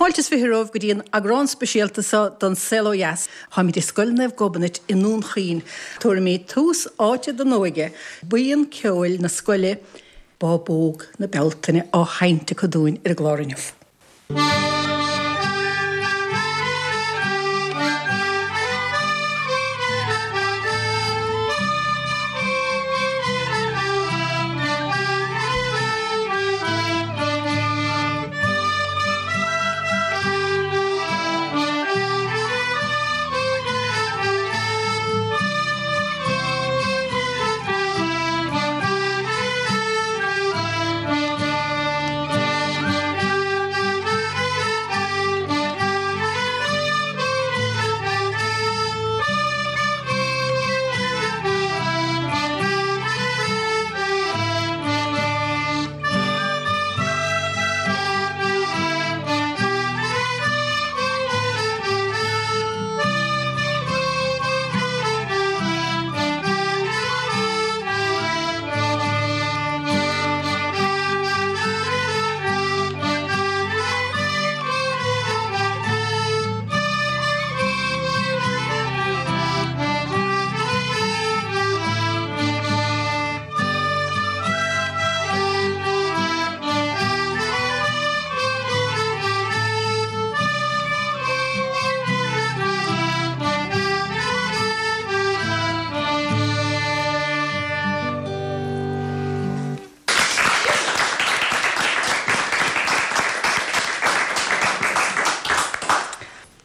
Fáilte is 20 romhaibh go dtí an eagrán speisialta seo den Saol Ó Dheas. Táimid i Scoil Naomh Gobnait i nDún Chaoin. Tabharfaimid tús áite don óige, buíon ceoil na scoile, Bábóg na Bealtaine á sheinnt acu dúinn ar an gclár inniu.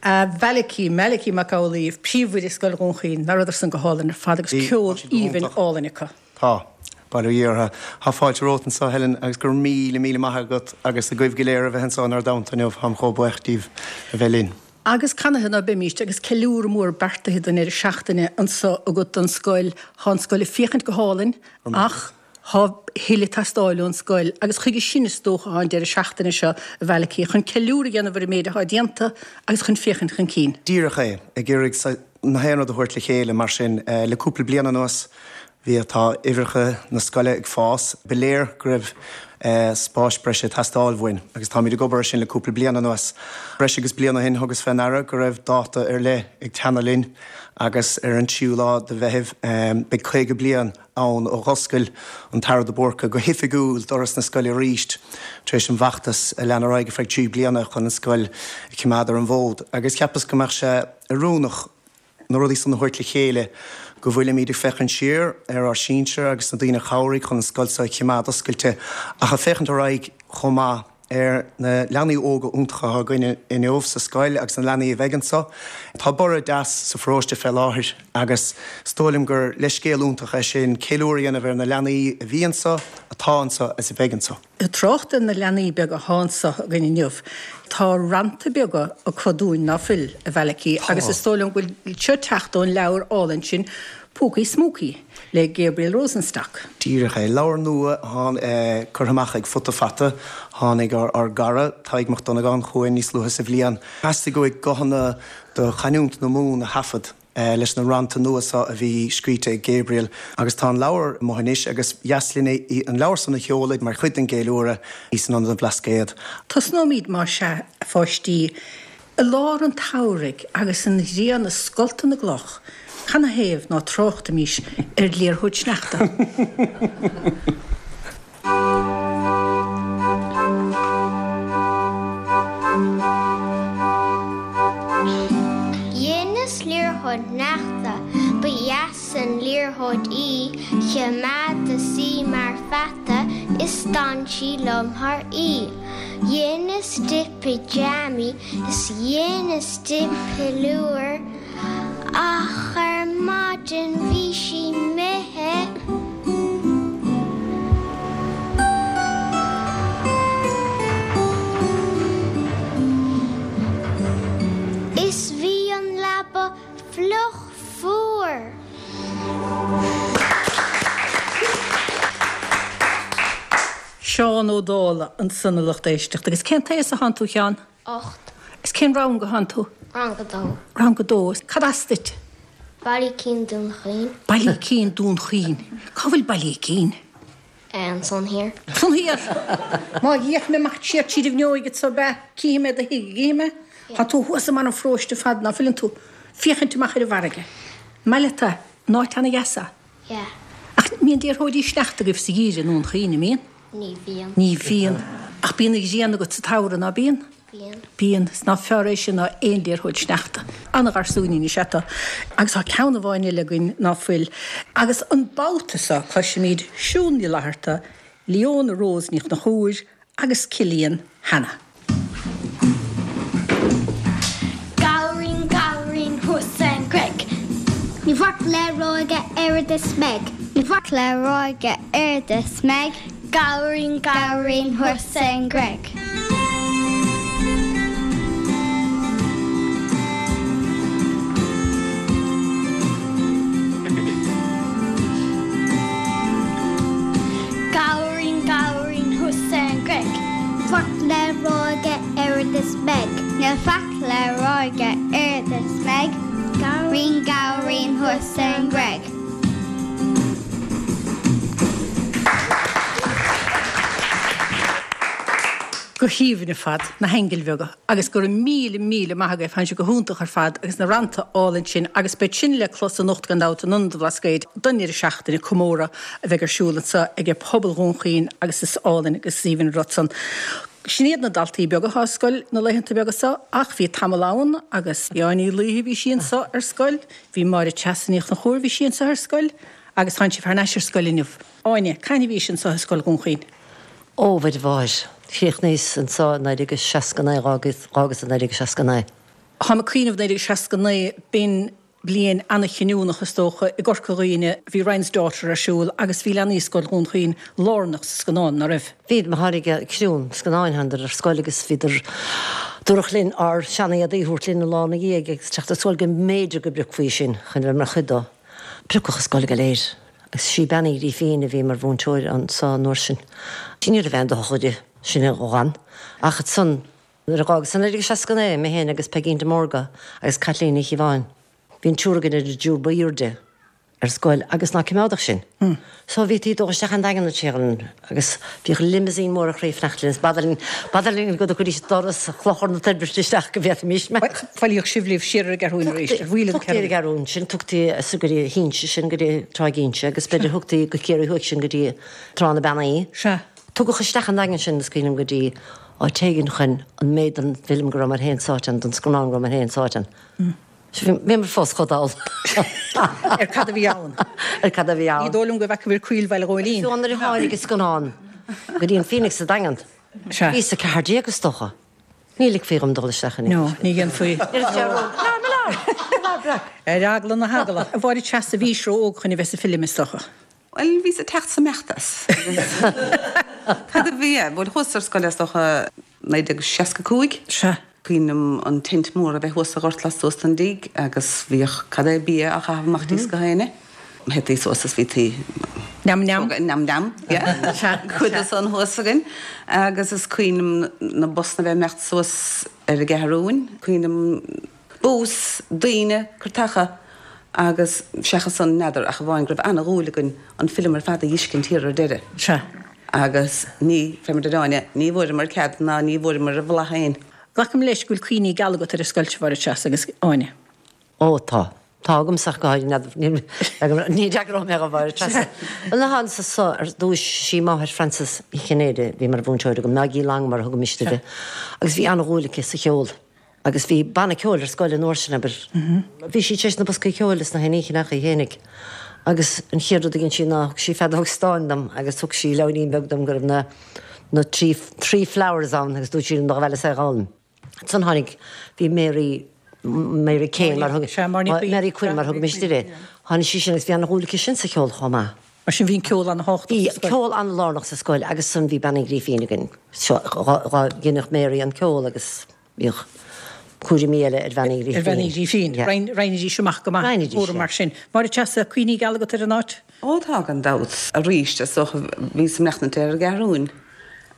A Mhalachy, Malachy Mac Amhlaoibh, Príomhoide Scoil Dhún Chaoin, nach rabhadar san go hálainn ar fad agus ceol aoibhinn álainn acu. Tá. Bail ó Dhia orthu. Tá fáilte romhat anseo, Helen, agus go raibh míle, míle maith agat agus agaibh go léir a bheith anseo inár dteannta inniu. Táim chomh buíoch díbh a bheith linn. Agus canathaobh ná beimíst agus ceiliúradh mór beartaithe don deireadh seachtaine anso agat don scoil. Thá an scoil ag féachaint go hálainn ach thá a thuilleadh ag teastáil ón scoil agus chuige sin is dócha thá an deireadh seachtaine seo, a Mhalachy, chun ceiliúradh a dhéanamh ar an méid athá déanta agus chun féachaint chun cinn. Díreach é, ag iarraidh na haon rud a thabhairt le chéile mar sin le cúpla bliain anuas. Bhí tá uimhreacha na scoile ag fás. Ba léir go raibh spáis breise ag teastáil uainn agus táimid ag obair ar sin le cúpla bliain anuas. Breis agus bliain ó shin thugas fé ndeara go raibh dáta ar leith ag teannadh linn agus ar an tríú lá de Mheitheamh beidh 50 bliain ann ó dh'oscail an tAire de Búrca go hoifigiúil doras na scoile arís tar éis an bhfeachtas a lean ar aghaidh ar feadh trí bliana chun an scoil a choimeád ar an bhfód agus cheapas go mbeadh sé oiriúnach na rudaí san a thabhairt le chéile, go bhfuilimid ag féachaint siar ar ár sinsir agus na daoine a chabhraigh chun an scoil seo a chimeád oscailte, ach ag féachaint ar aghaidh chomh maith ar na leanaí óga iontacha atá againn inniu sa scoil agus na leanaí a bheidh anseo. Tá borradh deas sa pharóiste fé láthair agus is dóigh liom gur leithscéal iontach é sin ceiliúradh a dhéanamh ar na leanaí a bhí anseo, atá anseo agus a bheidh anseo. Ag trácht ar na leanaí beaga athá anso againn inniu, tá rannta beaga acu dúinn, ná fuil, a Mhalachy, agus is dóigh liom go bhfuil seo ag teacht ón leabhar álainn sin, Púcaí Smúcaí, le Gabriel Rosenstock. Díreach é. Leabhar nua atá curtha amach ag Futa Fata. Tháinig ár gcara, Tadhg Mac Dhonnagáin, chugainn níos luaithe sa bhliain. Theastaigh uaidh guthanna de chanúint na Mumhan a thaifead. leis na rannta nua seo a bhí scríte ag Gabriel agus tá an leabhar amuigh anois agus ba dheas linn an leabhar san a sheoladh mar chuid den gceiliúradh san Ionad an Bhlascaod. Tosnóimid, más ea, a pháistí, i lár an tsamhraidh agus an ghrian ag scoltadh na gcloch, canathaobh ná tráchtaimís ar liathróid sneachta? Dheineas liathróid shneachta, ba dheas an liathróid í, Choimeádas í mar pheata is d'fhan sí liom thar oíche. Dheineas di pajamaí is dheineas di piliúr, Ach ar maidin bhí sí imithe. Is bhí an leaba fliuch fuar. Seán Ó Dálaigh ansan a lucht éisteachta. Agus cén t-aos atánn tú, a Sheáin? 8. Is cén rang a thánn tú? Rang a dó. Rang a dó. Cad as duit? Baile Cinn Dún Chaoin. Baile Cinn Dún Chaoin. Cá bhfuil Baile Cinn? Ansan thiar. Ansan thiar! Má d'fhéach mé amach siar tríd an bhfuinneoig anso ab ea? Cífidh mé do thigh, an gcífidh mé? Tá tú thuas i mbarr an pharóiste ar fad, ná fuileann tú? Féachaint amach ar an bhfarraige. Maith leat é. An áit ana-dheas é. Yeah. Ach mbíonn liathróidí sneachta agaibh sa gheimhreadh i nDún Chaoin, an mbíonn? Ní bhíonn. Ní bhíonn. Ach bíonn an ghrian agat sa tsamhradh, ná bíonn? Bíonn. Bíonn. Is ná fearr é sin ná aon liathróid sneachta. Ana-gharsúinín is ea tú. Agus tá ceann amháin eile againn ná fuil. Agus an babhta seo cloisfimid Siún Ní Fhlatharta, Leona Rose Ní Chonchúir agus Cillian Hanna. Gabhairín, gabhairín thuas ar an gcreig. Níl faic le rá aige oiread is meig. Níl faic le rá aige oiread is meig. Gabhairín, gabhairín thuas ar an gcreig. Gabhairín, gabhairín thuas ar an gcreig. Faic le rá aige oiread is meig. Níl faic le rá aige oiread is meig. Gabhairín, gabhairín thuas ar an gcreig. Go haoibhinn ar fad, na haingil bheaga, agus go raibh míle, míle maith agaibh, tánn sibh go hiontach ar fad agus na rannta álainn sin agus beidh sin le clos anocht gan dabht in Ionad an Bhlascaoid don deireadh seachtaine, comóradh a bheidh ar siúl anseo ag pobal Dhún Chaoin agus is álainn agus is aoibhinn an rud san. Sin iad na daltaí beaga atá ar scoil na laethanta beaga seo ach bhí tamall ann agus bhí Áine Uí Laoithe, bhí sí anseo ar scoil, bhí Máire Treasa Ní Chonchúir, bhí sí anseo ar scoil agus tánn sibh thar n-ais ar scoil inniu. Áine, cathain a bhís anseo i Scoil Dhún Chaoin? Ó, a Mháire, chríochnaíos anseo i 1969, dh'fhágas i 1969. Táim ag cuimhneamh 1969, b'in bliain ana-chinniúnach is dócha i gCorca Dhuibhne, bhí Ryan's Daughter ar siúl agus bhí leanaí Scoil Dhún Chaoin lárnach sa scannán, ná raibh? Bhí, mar tháinig criú an scannáin, thánadar ar scoil agus bhíodar, dúradh linn ár sean-éadaí a thabhairt linn an lá ina dhiaidh agus teacht ar scoil go mb'fhéidir go bpiocfaí sinn chun a bheith mar chuid dó. Piocadh an scoil go léir agus sí Bean Uí Ghrífín a bhí mar mhúinteoir anso an uair sin. Ní raibh aon doicheall di, sin a dh'fhan. Ach ansan Nuair a dh'fhágas i 1969, mé féin agus Peigín de Mórdha agus Caitlín Ní Chíobháin, bhí an triúr againn ar an dtriúr ba aoirde ar scoil agus ná coimeádadh sinn. So bhítí ag dul isteach an Daingean an agus bhíodh limousine mór ag rith ag fanacht linn is b'fhada linn, b'fhada linn go dtiocfaidís doras Chlochar na Toirbhirte isteach go bhféadfaimis imeacht. Bhailíodh sibh libh siar ar an gCeathrúin arís, ar bhaol an Tugtaí ar an gCeathrúin sinn, tugtaí so go dtí hInse sinn go dtí Tráigh Inse agus b'fhéidir thugtaí go Ciarraí Thuaidh sinn go dtí Trá na Beannaí. Sea. Tugadh isteach an Daingean sinn, is cuimhin liom, go dtí áit éigin chun an méid den bhfilm go rabhamar féin sáite ann, den scannán go rabhamar féin sáite ann. Bhíomar fós chomh dall. Ar cad a bhí ann. Ar cad a bhí ann. Ní dóigh liom go bhfeacaibh coill Bhaile Ghóilín. Fiú nuair a tháinig an scannán go dtí an Phoenix sa Daingean, bhíos 14 is dócha. Ní ligfí dhom dul isteach in No, ní dhéanfaí. Ar eagla na heagla. A Mháire Treasa, bhís ró-óg chun a bheith sa bhfilm, is dócha. Bhuel, bhíos ag teacht 's ag imeacht as. Cad a bhí? Bhuel, chuas ar scoil is dócha 1965. Sea. Cuimhin liom an tent mór a bheith thuas sa ghort lastuas den dtigh agus bhíodh cad é bia á chaitheamh amach thíos gach éinne. Théití suas is bhítí. Neam neam. Neam neam, yeah. Sea. Cuid de san thuas againn. Agus is cuimhin liom na busanna a bheith ag imeacht suas ar an gCeathrúin. Cuimhin liom. Bus, daoine, cairteacha agus seachas san n'fheadar ach amháin go raibh ana-dhúil againn an film ar fad a dh'fheiscint thiar ar deireadh. Sea. Agus ní, fé mar deir Áine, ní bhfuaireamar cead ná ní bhfuaireamar a bhla féin. Glacaim leis go bhfuil cuimhní geala agat ar an scoil seo, a Mháire Treasa agus Áine. Ó tá. Tá agamsa ach go háirithe. N'fheadar, ní fhreagróidh mé do Mháire Treasa. Bhuel, na thánasa so ar dtúis, sí máthair Frances Uí Chinnéide a bhí mar mhúinteoir agam, Maggie Long mar a thugaimis uirthi, agus bhí ana-dhúil aici sa cheol. Agus bhí banna ceoil ar scoil an uair sin, abair. Bhí sí tar éis na boscaí ceoil is na haon ní a cheannach í fhéinig. Agus an chéad rud a dhein sí ná thug sí feadóg stáin dom agus thug sí leabhairín beag dom go raibh na na trí three flowers ann agus dúirt sí liom dul abhaile is é a dh'fhoghlaim. Ansan tháinig, bhí Mary, Mary Kane mar thug, Mary Quinn mar thugaimis uirthi. Tháinig sí sin agus bhí ana-dhúil aici sin sa cheol chomh maith. Mar sin bhí an ceol ana-thábhachtach sa scoil. Bhí ceol ana-lárnach sa scoil agus ansan bhí Bean Uí Ghrífín againn. Seo, dhá dheineadh Mary an ceol agus bhíodh cúraimí eile ar Bhean Uí Ghrífín. Ar Bhean Uí Ghrífín. Yeah. Roinnidís amach go maith an cúram mar sin. Máire Treasa, cuimhní geala agat ar an áit? Ó tá gan dabht. Arís, is dócha, bhíos ag maireachtaint ar an gCeathrúin,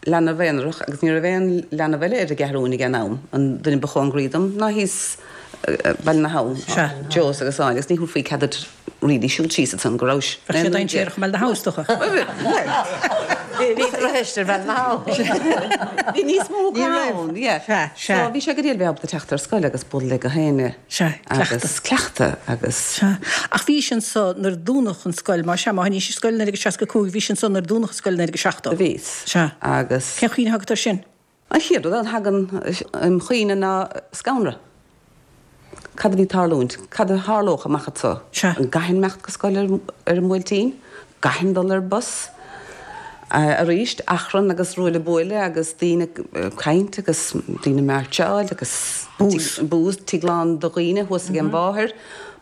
leanbh aonarach agus ní raibh aon leanbh eile ar an gCeathrúin ag an am, an duine ba chóngaraí dom ná thíos. Baile na hAbhann, Joe agus Áine, agus ní thabharfaí cead duit really siúl síos ansan go rabhais. Bheadh sé dainséarach i mBaile na hAbhann is dócha. Bhí droichead ar Bhaile na hAbhann. Bhí níos mó acu ann, yeah. Sea, sea. So bhí sé go diail bheith ábalta teacht ar scoil agus bualadh le gach éinne. Sea, cleachtadh. Agus cleachtadh agus. Sea. Ach bhís anso nuair a dúnadh an scoil, má sea, má tháinís ar scoil i 1965, bhís anso nuair a dúnadh an scoil i 1970. Bhíos. Sea. Agus. Cén chuimhne atá agat air sin? An chéad rud a thagann im chuimhne ná scanradh. Cad a bhí ag tarlúint? Cad a tharlódh amach anso? Sea. An gcaithfinn imeacht go scoil ar an mBuailtín? Gcaithfinn dul ar bus? Arís, achrann agus ruaille buaille agus daoine ag caint agus daoine ag mairseáil agus Bús. bús, tigh lán de dhaoine thuas ag an mháthair,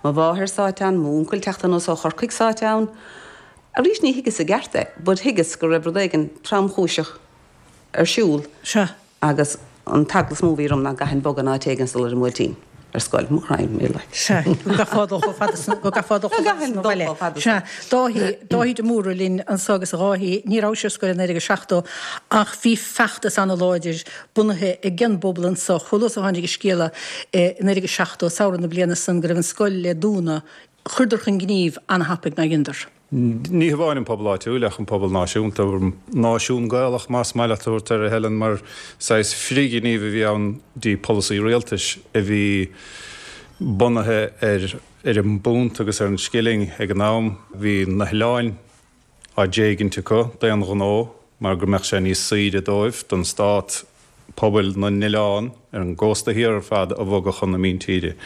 mo mháthair sáite ann, m'úncail teacht anuas ó Chorcaigh sáite ann. Arís ní thuigeas i gceart é but thuigeas go raibh rud éigin tromchúiseach ar siúl Sea. agus an t-eagla is mó a bhí orm ná go gcaithfinn bogadh in áit éigin is dul ar an mBuailtín ar scoil, mo chroí, mé like. Sea, go gcaithfeá dul chomh fada san, go gcaithfeá dul chomh fada san ó bhaile. Sea, Dáithí, Dáithí de Mórdha linn anso agus a Dháithí, ní rabhais ar scoil i 1970 ach bhí feachtas ana-láidir bunaithe ag an bpobal anso, chomh luath is a tháinig an scéala i 1970, samhradh na bliana san, go raibh an scoil le dúnadh, chuireadar chun gnímh ana-thapaidh, nár dheineadar? Ní hamháin an pobal áitiúil ach an pobal náisiúnta, náisiún Gaelach más maith leat a thabhairt air, a Helen, mar saghas frithghníomh a bhí ann dtí polasaí rialtais a bhí bunaithe ar ar an bpunt agus ar an scilling ag an am. Bhí na hoileáin á dtéigint acu d'aon ghnó mar go mbeadh sé níos saoire dóibh, don stát, pobail na n-oileán ar an gcósta thiar ar fad a bhogadh chun na míntíre.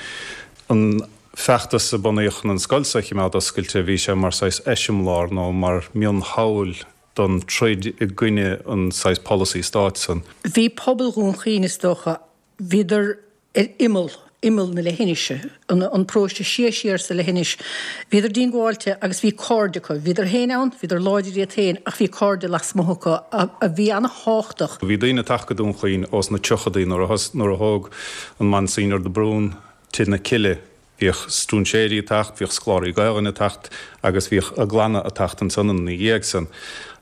An feachtas a bunaíodh chun an scoil seo a chimeád oscailte, bhí sé mar saghas eiseamláir nó mar mhionshamhail don troid i gcoinne an saghas polasaí stáit san. Bhí pobal Dhún Chaoin, is dócha, bhíodar ar imeall, imeall na leithinise, an paróiste siar siar sa leithinis. Bhíodar díongbháilte agus bhí cairde acu. Bhíodar féin ann, bhíodar láidir iad féin ach bhí cairde lasmuigh acu a bhí ana-thábhachtach. Bhí daoine ag teacht go Dún Chaoin ós na tríochadaí nuair a nuair a thóg an Monsignor de Brún Tigh na Cille. Bhíodh stróinséirí ag teacht, bhíodh scoláirí Gaelainne ag teacht agus bhíodh a gclanna ag teacht ansan ina dhiaidh san.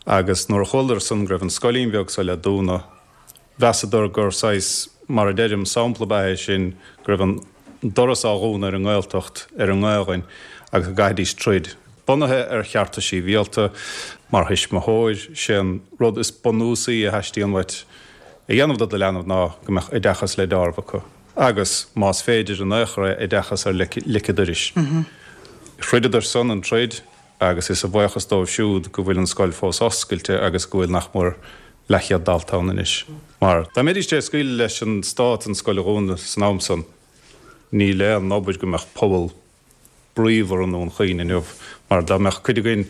Agus nuair a chualadar san go raibh an scoilín bheag so le dúnadh, Mheasadar gur saghas, mar a deirim, sampla ab ea é sin go raibh an doras á dhúnadh ar an nGaeltacht, ar an nGaelainn agus go gcaithfidís troid. Bunaithe ar chearta sibhialta, mar thuismitheoir, sé an rud is bunúsaí a theastaíonn uait a dhéanamh do do leanbh ná go mbeadh oideachas le deáramh acu agus, más féidir in aon chor é, oideachas ar lic an dorais. Throideadar san an troid. agus is a bhuíochas dóibh siúd go bhfuil an scoil fós oscailte agus go bhfuil nach mór leathchéad dalta ann anois. Mar dá mbeidís tar éis scaoileadh leis an stát an scoil a dhúnadh san am san, níl aon obair go mbeadh pobal bríomhar i nDún Chaoin inniu, mar dá mbeadh cuid againn,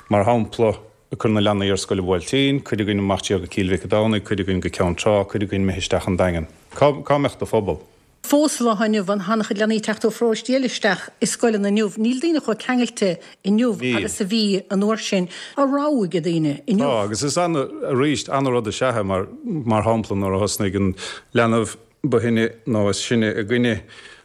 mar shampla, ag cur na leanaí ar scoil an Bhuailtín, cuid againn amach siar go Cill Mhic a' Domhnaigh, cuid againn go Ceann Trá, cuid againn imithe isteach an Daingean. Cá cá mbeadh do phobal? Fós sa lá inniu, tá an-chuid leanaí ag teacht ó pharóistí eile isteach i scoileanna inniu. Níl daoine chomh ceangailte inniu Níl. agus a bhí an uair sin. Tá rogha ag daoine inniu. Tá, agus is ana, arís, ana-rud is ea é mar, mar shampla, nuair a thosnaigh an leanbh ba shine nó is sine againne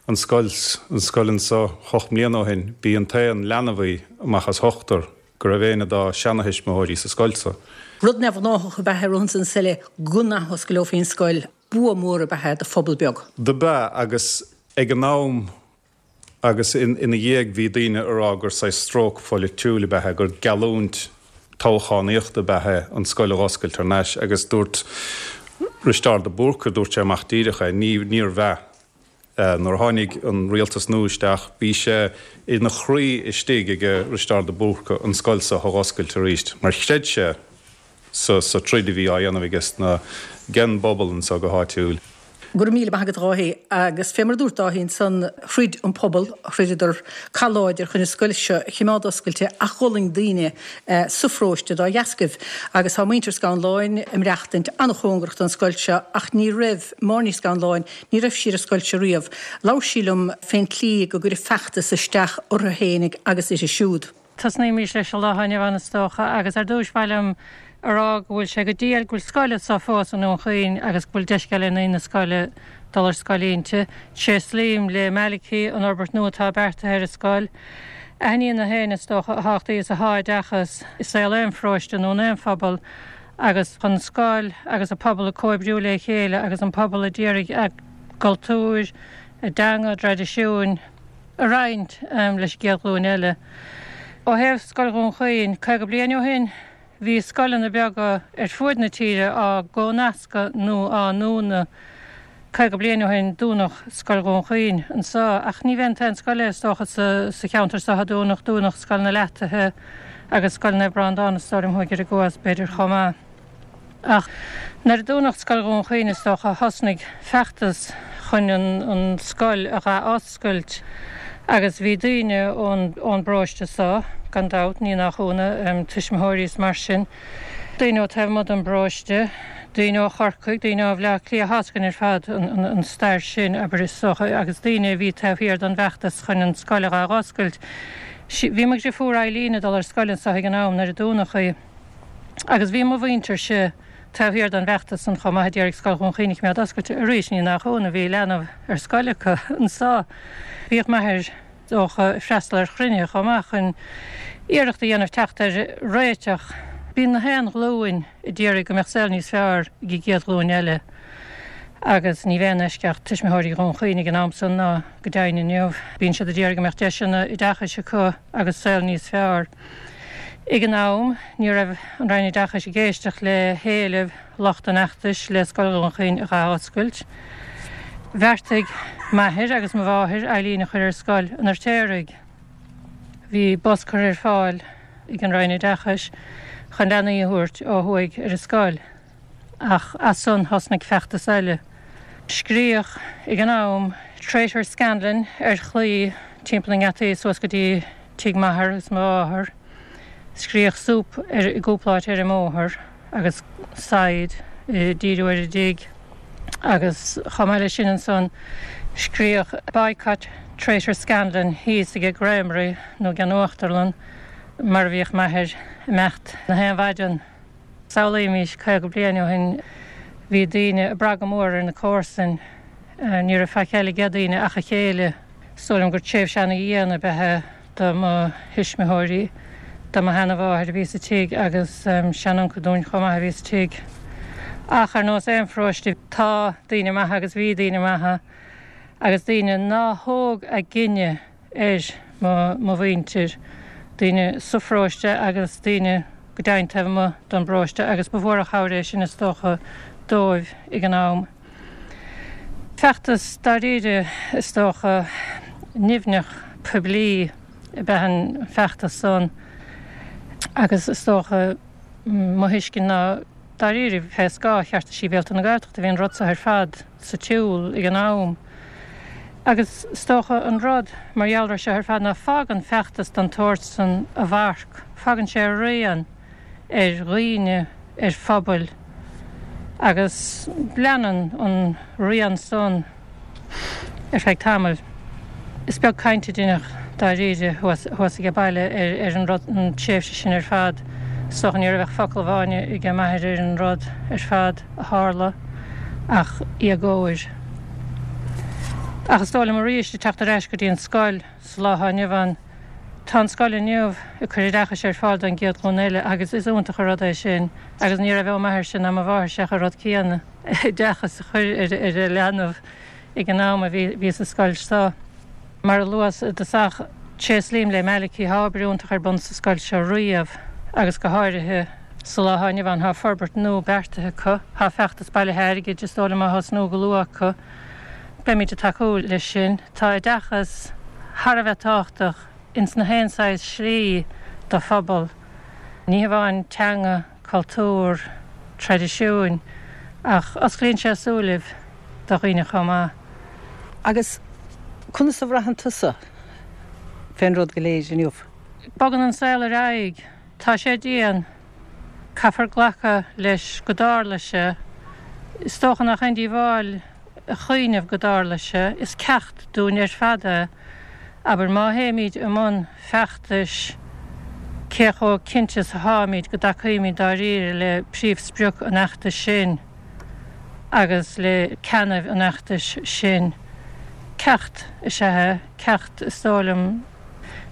an scoil, an scoil anso hocht mbliana ó shin, b'í an t-aon leanbh í amach as ochtar go raibh éinne dá seanathuismitheoirí sa scoil so. Rud neamhghnáthach ab ea é romhan san is eile go n-athoscaileofaí an scoil. Bua mór ab ea é do phobal beag. Do b'ea, agus ag an am agus ina dhiaidh bhí daoine ag rá gur saghas stróc pholaitiúil ab ea é, gur geallúint toghchánaíochta ab ea é an scoil a dh'oscailt thar n-ais agus dúirt Risteárd de Búrca, dúirt sé amach díreach é, ní, níorbh ea. Nuair a tháinig an rialtas nua isteach bhí sé ina chroí istigh ag Risteárd de Búrca an scoil so a dh'oscailt arís mar chreid sé sa sa troid a bhí á dhéanamh aige sna ag an bpobal anso go háitiúil. Go raibh míle maith agat a Dháithí. Agus fé mar a dúirt Dáithí ansan, throid an pobal, throideadar cath láidir chun an scoil seo a chimeád oscailte ach dh'fhulaing daoine sa pharóiste dá dheascaibh. Agus tá muintir Scanláin ag maireachtaint an-chóngarach don scoil seo ach ní raibh Máire Ní Scanláin, ní raibh sí ar an scoil seo riamh. Labhair sí liom fén tslí go gcuireadh feachtas isteach orthu fhéinig agus uirthi siúd. Tosnaímis leis an lá inniu ann is dócha agus ar dtúis ba mhaith liom a rá go bhfuil sé go diail go bhfuil scoil anso fós i nDún Chaoin agus go bhfuil deis ag leanaí na scoile dul ar scoil inti. Tréaslaím le Malachy an fhorbairt nua atá beartaithe ar an scoil. Aithníonn gach éinne is dócha a thábhachtaí is atá oideachas i saol aon pharóiste nó in aon phobal agus an scoil agus an pobal ag comhoibriú le chéile agus an pobal a d'iarraidh a gcultúr. A dteanga, a dtraidisiúin a roinnt leis an gcéad ghlúin eile. Ó thaobh Scoil Dhún Chaoin, 50 bliain ó shin, bhí scoileanna beaga ar fuaid na tíre á gcomhnascadh nó á ndúnadh. 50 bliain ó shin dúnadh Scoil Dhún Chaoin anseo, ach ní b'é an t-aon scoil é is dócha sa cheantar seo a dúnadh, dúnadh Scoil na Leataithe agus Scoil Naomh Breandán is dóigh liom thuaidh ar an gCuas b'fhéidir chomh maith. Ach nuair a dúnadh Scoil Dhún Chaoin is dócha thosnaigh feachtas chun an scoil a dh'athoscailt agus bhí daoine ón ón bparóiste so, gan dabht, ní nach ionadh, tuismitheoirí is mar sin, daoine ó taobh amuigh den bparóiste, daoine ó Chorcaigh, daoine ó Bhleá Cliath, tá's againn ar fad an stair sin, abair, is dócha, agus daoine a bhí taobh thiar den bhfeachtas chun an scoil a dh'athoscailt. Bhí mo dhriofúr Eileen ag dul ar scoil anso ag an am nuair a dúnadh í. Agus bhí mo mhuintirse taobh thiar den bhfeachtas san chomh maith a d'iarraidh Scoil Dhún Chaoin a choimeád oscailte. Arís, ní nach ionadh, bhí leanbh ar scoil acu anso. Bhíodh m'athair is dócha ag freastal ar chruinnithe chomh maith chun iarracht a dhéanamh teacht ar réiteach. Bíonn na haon ghlúin a d'iarraidh go mbeadh saol níos fearr ag an gcéad ghlúin eile agus ní b'aon eisceacht tuismitheoirí Dhún Chaoin ag an am san ná go deimhin inniu. Bíonn siad a d'iarraidh go mbeadh deiseanna oideachais acu agus saol níos fearr. Ag an am, ní raibh an Roinn Oideachais ag éisteacht le héilimh lucht an fheachtais le Scoil Dhún Chaoin a dh'athoscailt. Bheartaigh m'athair agus mo mháthair Eileen a chur ar scoil an Fheirtéaraigh. Bhí bus curtha ar fáil ag an Roinn Oideachais chun leanaí a thabhairt ó thuaidh ar an scoil. Ach as san thosnaigh feachtas eile. Scríodh ag an am 'Traitor Scanlon' ar chlaí timpeall na ngeataí suas go dtí tigh m'athar agus mo mháthar. Scríodh 'Soup' ar i gcúpla áit ar an mbóthar agus saighead ag díriú ar an dtigh agus chomh maith leis sin ansan scríodh 'Boycott Traitor Scanlon' thíos ag an gcreamery nó ag an uachtarlann mar a bhíodh m'athair ag imeacht na haon mhaidean. Samhlaímis, 50 bliain ó shin bhí daoine ag brath go mór ar na comharsain. Ní raibh faic eile ag daoine ach a chéile. Is dóigh liom gur tréimhse ana-dhian ab ea é do mo thuismitheoirí, do mo sheana-mháthair a bhí sa tigh agus seanuncail dúinn chomh maith a bhí sa tigh. Ach ar nós aon pharóiste tá daoine maithe agus bhí daoine maithe agus daoine ná thóg a gcine ar mo mhuintir, daoine sa pharóiste agus daoine go deimhin taobh amuigh den bparóiste agus ba mhór an chabhair é sin is dócha dóibh ag an am. Feachtas dáiríre is dócha, nimhneach poiblí ab ea an feachtas san agus is dócha mo thuiscint ná dáiríre fé scáth Chearta Sibhialta na Gaeltachta bhí an rud seo ar fad sa tsiúl ag an am. Agus is dócha an rud mar gheall air seo ar fad ná fágann feachtas den tsórt san a mharc, fágann sé a rian ar dhaoine, ar phobail agus leanann an rian san ar feadh tamaill. Is beag caint a deineadh dáiríre thuas age baile ar an rud, an tréimhse sin ar fad. Is dócha ní raibh ach focal amháin age m'athair ar an rud ar fad a tharla ach éagóir. Ach is dóigh liom arís ag teacht ar ais go dtí an scoil sa lá atá inniu ann, tá an scoil inniu ag cur oideachais ar fáil don gcéad ghlúin eile agus is iontach an rud é sin agus ní raibh ó m'athairse ná mo mháthairse ach an rud céanna, oideachas a chur ar a leanbh ag an am a bhí sa scoil seo. Mar a luas i dtosach, tréaslaím le Malachy, tá obair iontach ar bun sa scoil seo riamh agus go háirithe sa lá atá inniu ann. Tá forbairt nua beartaithe acu, tá feachtas bailithe airgid is dóigh liom á thosnú go luath acu. Beimid ag tacú leis sin. Tá oideachas thar a bheith tábhachtach ins na haon saghas slí do phobal, ní hamháin teanga, cultúr, traidisiúin, ach osclaíonn sé súilibh do dhaoine chomh maith. Agus conas a bhraitheann tusa fén rud go léir inniu? Bogann an saol ar aghaidh. Tá sé dian. Caithfear glacadh leis go dtarla sé. Is dócha nach aon díobháil a chuimhneamh go dtarla sé. Is ceacht dúinn ar fad é. Abair, má théimid i mbun feachtais, cé chomh cinnte is atáimid go dtacaímid dáiríre le príomhsprioc an fheachtais sin agus le ceannaibh an fheachtais sin? Ceacht is ea é, ceacht is dóigh liom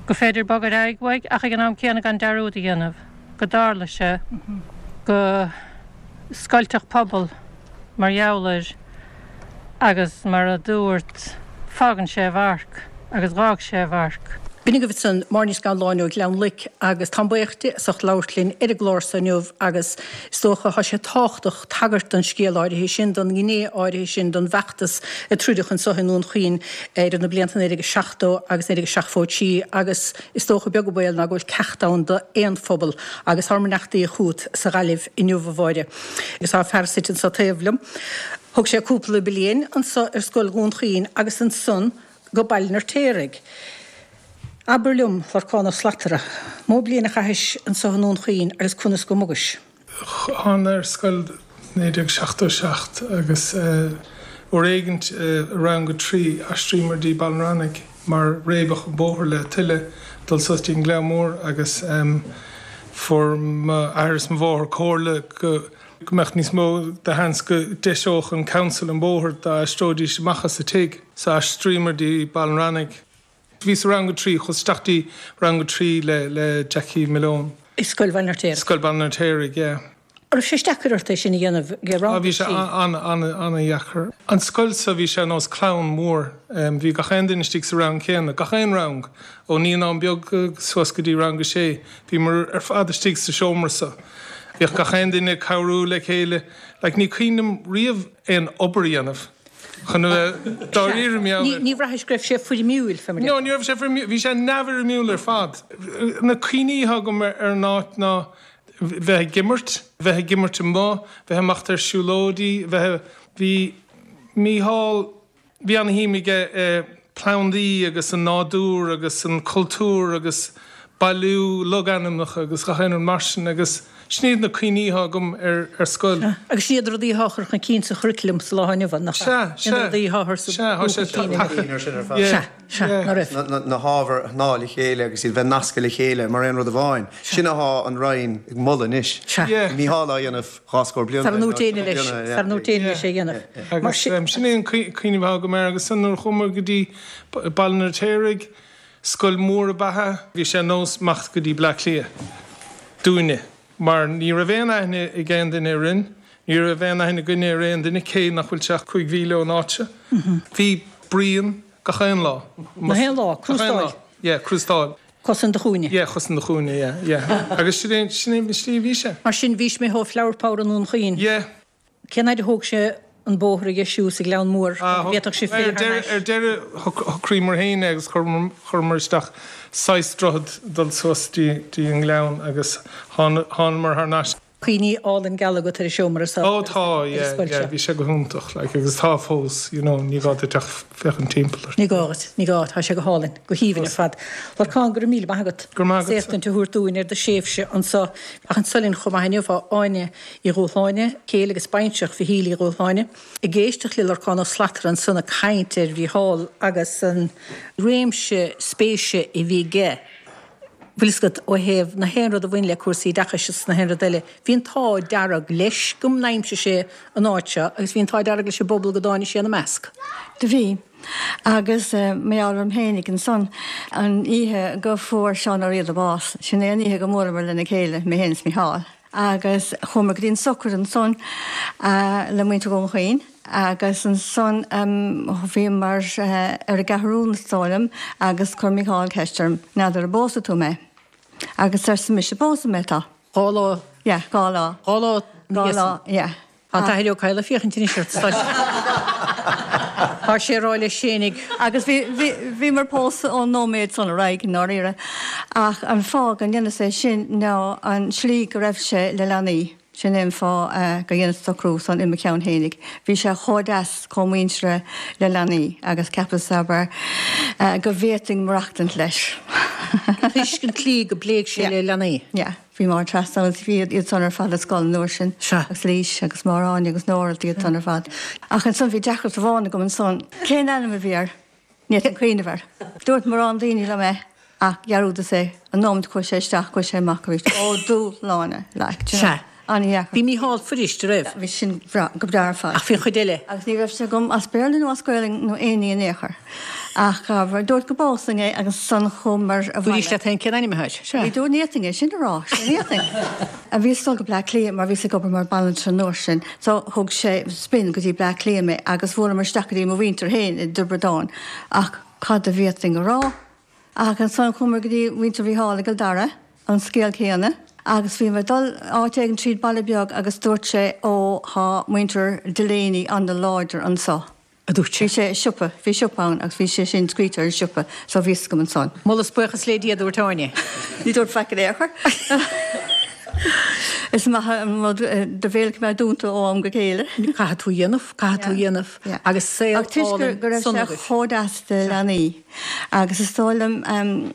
gur féidir bogadh ar aghaidh uaidh ach ag an am céanna gan dearúd a dhéanamh go dtarla sé go scoilteadh pobal mar gheall air agus mar a dúirt. Fágann sé a mharc, agus dh'fhág sé a mharc. B'in agaibh ansan Máire Ní Scanláin ó Ghleann Loic agus táim buíoch di as ucht labhairt linn ar an gclár so inniu agus is dócha thá sé tábhachtach tagairt don scéal áirithe sin, don ghné áirithe sin don bhfeachtas a troideadh anso i nDún Chaoin idir na blianta 1970 agus 1973 agus is dócha beag an baol ná go bhfuil ceacht ann do aon phobal agus thár mbeannachtaí chugat sa Ghaillimh inniu a Mháire. Agus thá fear suite anso taobh liom. Thóg sé cúpla bliain anso ar scoil Dhún Chaoin agus ansan go Baile an Fheirtéaraigh. Abair liom, Lorcán Ó Slatara, mó bliain a chaithis anso i nDún Chaoin agus conas go mbogais? Thána ar scoil 1977 agus uair éigint i rang a 3 aistríomar dtí Baile an Reannaigh mar réabadh an bóthar le tuile dul suas dtí an Gleann Mór agus fuair m'athair is mo mháthair comhairle go go mbeadh níos mó de sheans go deiseodh an council an bóthar dá aistreoidís amach as a tigh. So aistríomar dtí Baile an Reannaigh. Bhíos i rang a 3, chuas isteach dtí rang a 3 le le Jackie Malone. I Scoil Bhaile an Fheirtéaraigh. Scoil Bhaile an Fheirtéaraigh, yeah. An raibh sé deacair ort é sin a dhéanamh ag rang a 3? Bhí sé an-an-an-dheacair. An scoil so bhí sé ar nós clann mhór. Bhí gach aon duine istigh sa rang céanna, gach aon rang, ó naíonán beag suas go dtí rang a sé. Bhíomar ar fad istigh sa seomra so. Bhíodh gach aon duine ag cabhrú le chéile. Like, ní cuimhin liom riamh aon obair a dhéanamh chun a bheith dáiríre mar gheall ar. Ní bhraithis go raibh sé foirmiúil, fé mar No, ní raibh sé foirmiúil. Bhí sé neamhfhoirmiúil ar fad. Na cuimhní atá agam ar an áit ná bheith ag imirt, bheith ag imirt amuigh, bheith ag imeacht ar siúlóidí, bheith, bhí Mícheál, Bhí ana-shuim aige i plandaí agus an nádúr agus an cultúr agus bailiú logainmneacha agus gach aon rud mar sin agus sin iad na cuimhní atá agam ar ar scoil. Sea, agus sin iad rudaí atá á chur chun cinn sa churriculum sa lá inniu ann, nach ea? Sea, Sin sea, rudaí atá á chur sa sea, tá sé chun cinn tagtha. Ar sin ar fad. Sea, sea, ná raibh. Na hábhair a shnáth le chéile agus iad bheith nasctha le chéile mar aon rud amháin. Sin athá an Roinn ag moladh anois. Sea. Mícheál á dhéanamh. 20 bliain Sara ndúirt éinne leis, sara ndúirt éinne leis é a dhéanamh. Mar Agus sin é an cuimhneamh atá agam air. Agus ansan nuair a chuamar go dtí Baile an Fheirtéaraigh, scoil mhór ab ea é. Bhí sé ar nós imeacht go dtí Bleá Cliath dúinne mar ní raibh aon aithne ag aon duine orainn, ní raibh aon aithne againne ar aon duine cé nach bhfuil sé ach 5 mhíle ón áit seo. Bhí bruíon gach aon lá. Gach aon lá, crústáil. Yeah, crústáil. Cosa in do chúinne. Yeah, cosa in do chúinne, yeah, yeah. Agus sin é, sin é an slí a bhí sé. Mar sin, bhís méith ó Flower Power i nDún Chaoin. Yeah. Cén fhaid a thóg sé an bóthar a dheisiú sa Ghleann Mór go bhféadfadh sibh filleadh thar n-ais? Ar deireadh, shocraíomar féin é agus chuireamar isteach saghas droichead dul suas dtí an Gleann agus thánamar thar n-ais. Cuimhní álainn geala agat ar an seomra seo Ó tá, yeah, yeah, bhí sé go hiontach, like, agus tá fós, you know, ní gá duit ach féachaint timpeall ort. Ní gá duit, ní gá, tá sé go hálainn, go haoibhinn ar fad. Lorcán, go raibh míle maith agat. Go raibh maith agatsa. As éachtaint a thabhairt dúinn ar do thréimhse anso. Ach anso linn chomh maith inniu tá Áine Uí Dhúshláine, céile agus baintreach Mhichíl Uí Dhúshláine, ag éisteacht le Lorcán Ó Slatara ansan ag caint ar Mhícheál agus an réimse spéise a bhí aige. Bhfuil fhios agat, ó thaobh na haon rud a bhain le cúrsaí oideachais is na haon rud eile, bhí an t-ádh dearg leis go n-aimsigh sé an áit seo agus bhí an t-ádh dearg leis an bpobal go dtáinig sé ina measc. Do bhí. Agus mar gheall orm fhéinig ansan, an oíche go fuair Seán Ó Riada bás, sin é an oíche go mbuaileamar lena chéile, mé féin is Mícheál. Agus chuamar go dtí an sochraid ansan le muintir Dhún Chaoin agus ansan bhíomar ar an gCeathrún is dóigh liom agus chuir Mícheál ceist orm, n'fheadar an bpósfaidh tú mé? Agus arsa mise, pósfaidh mé tá. Dhá lá. Yeah, dhá lá. Dhá lá Dhá lá, yeah. Tá an tAthair Ó Cadhla ag féachaint anois ort, tá sé ag rá leis fhéinig. Agus bhí, bhí, bhíomar pósta ón nóiméad san ar aghaidh, i ndáiríre. Ach an fáth go ndeineas é sin ná an tslí go raibh sé le leanaí. Sin é an fáth go dheineas an socrú san i mo cheann fhéinig. Bhí sé chomh deas, chomh muinteartha le leanaí agus cheapas, abair, go bhféadfainn maireachtaint leis. Toisc an tslí go bpléigh sé le leanaí. Yeah. Bhí Máire Treasa agus bhí iad san ar fad ar scoil an uair sin. Sea. Agus Laoise agus Máire Áine agus Nóra iad san ar fad. Ach ansan bhí deacracht amháin agam ansan. Cén ainm a bhí air? Ní fhéadfainn cuimhneamh air. Dúirt mórán daoine liom é ach dhearúdas é. An nóiméad a chuaigh sé isteach, chuaigh sé amach arís. Ó Dúshláine, like, do you know. Sea. An-dheacair. Bhí Mícheál fuirist, an raibh? Bhí sin go breá ar fad. Ach bhí an chuid eile? Agus ní raibh sé agam as Béarla nó as Gaolainn nó aon ní in aon chor. Ach dúirt go b'fhearr linn é agus ansan chuamar abhaile. Dúraís leat féin cén ainm atá air? Sea. Ní dúirt, ní fhéadfainn é sin a rá. Sea, ní fhéadfainn. Bhíos ag dul go Bleá Cliath mar bhíos ag obair mar banaltra an uair sin. So thug sé spin go dtí Bleá Cliath mé agus bhuaileamar isteach go dtí mo mhuintir féin i dTiobraid Árann. Ach cad a bhféadfainn a rá? Ach ansan chuamar go dtí muintir Mhícheáil i gCill Dara, an scéal céanna, agus bhíomar ag dul áit éigin tríd baile beag agus dúirt sé ó thá muintir Delaney ana-láidir anso. a dúirt sé. Bhí sé i siopa, bhí siopa ann agus bhí sé sin scríte ar an siopa so bhí fhios agam ansan. Moladh is buíochas le Dia, a dúirt Áine. Ní dúirt faic in aon chor. Is maith an rud do bhéal a choimeád dúnta ó am go chéile. Caithfidh tú a dhéanamh, caithfidh tú a dhéanamh agus saol Ach toisc álainn go raibh sona sé agaibh. chomh deas do leanaí. Agus is dóigh liom,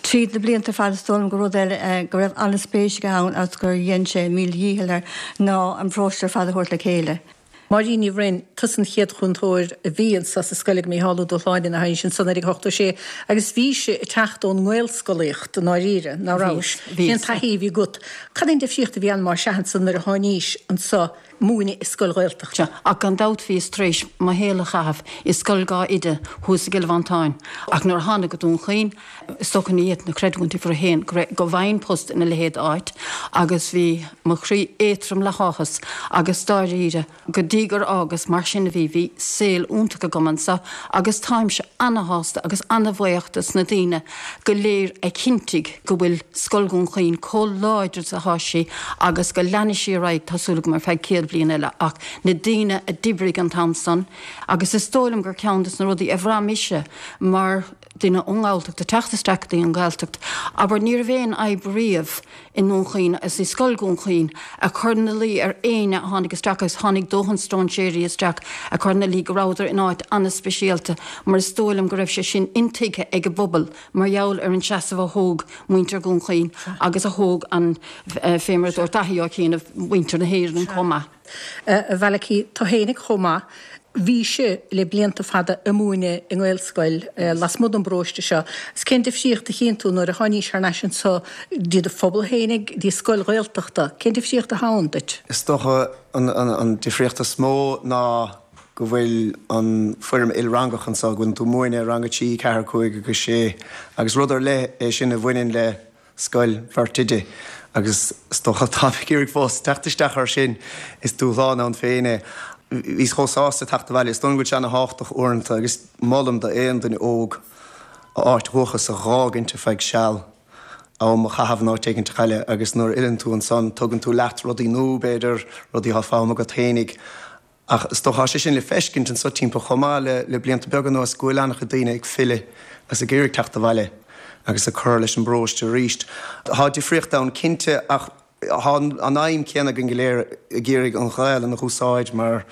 tríd na blianta ar fad, is dóigh liom gur rud eile go raibh an-spéis aige ann agus gur dhein sé a mhíle dhícheall air ná an paróiste ar fad a thabhairt le chéile. Máirín Ní Bhroin, tusa an chéad chúntóir a bhí anso sa scoil ag Mícheál Ó Dúshláine ina thaobh sin san 1986 agus bhís ag teacht ón nGaelscolaíocht i ndáiríre, ná rabhais? Bhí, Cén taithí a bhí agat? Cad é an difríocht a bhí ann más ea ansan nuair a tháinís anso múineadh i scoil Ghaeltachta. Ach gan dabht bhíos tar éis mo shaol a chaitheamh i scoil dhá oide thuas i gCill Mhantáin ach nuair a thánag go Dún Chaoin, is dócha ní fhéadfainn a chreidiúint uimhir a haon go raibh, go bhfaighinn post ina leithéid d'áit agus bhí mo chroí éadtrom le háthas agus dáiríre go dtí gur fhágas mar sin a bhí, bhí saol iontach agam anso agus táimse ana-shásta agus ana-bhuíoch dos na daoine go léir a chinntigh go bhfuil Scoil Dhún Chaoin chomh láidir is atá sí agus go leanfaidh sí ar aghaidh, tá súil agam, ar feadh 100 bliain eile ach na daoine a d'oibrigh an t-am san agus is dóigh liom gur ceann des na rudaí a bhraith mise mar dhuine ón nGalltacht ag teacht isteach go dtí an Ghaeltacht, abair, ní raibh aon fhadhb riamh i nDún Chaoin agus i Scoil Dhún Chaoin a chur ina luí ar éinne a tháinig isteach agus tháinig dóthain stróinséirí isteach a chur ina luí go rabhadar in áit an-speisialta mar is dóigh liom go raibh sé sin intuigthe ag an bpobal mar gheall ar an seasamh a thóg muintir Dhún Chaoin agus a thóg an, fé mar a dúirt Daithí Ó cianaibh, muintir na hÉireann chomh maith. A Mhalachy, tú fhéinig chomh maith, bhís le blianta fada ag múineadh i nGaelscoil lasmuigh den bparóiste seo. Is cén difríocht a chíonn tú nuair a tháinís thar n-ais anso dtí do phobal fhéinig, dtí scoil Ghaeltachta? Cén difríocht atá ann duit? Is dócha an difríocht is mó ná go bhfuil an foirm ilrangach anso, go bhfuil tú ag múineadh rang a 3, 4, 5 agus 6 agus rud ar leith é sin a bhaineann le scoil bheirt oide agus is dócha táim ag iarraidh fós teacht isteach air sin, is dúshlán ann féin é. Bhíos chomh sásta teacht abhaile, is dóigh liom go bhfuil sé ana-thábhachtach uaireanta agus molaim d'aon duine óg a áit dhúchais a dh'fhágaint ar feadh seal, am a chaitheamh in áit éigint eile agus nuair a fhilleann tú ansan tugann tú leat rudaí nua b'fhéidir, rudaí atá foghlamtha agat fhéinig. Ach is dócha, tá sé sin le feiscint anso timpeall chomh maith le le blianta beaga anuas go bhfuil an-chuid daoine ag filleadh agus ag iarraidh teacht abhaile agus ag cur leis an bparóiste arís. Tá difríocht ann cinnte ach tá an aidhm céanna againn go léir ag iarraidh an Ghaelainn a úsáid mar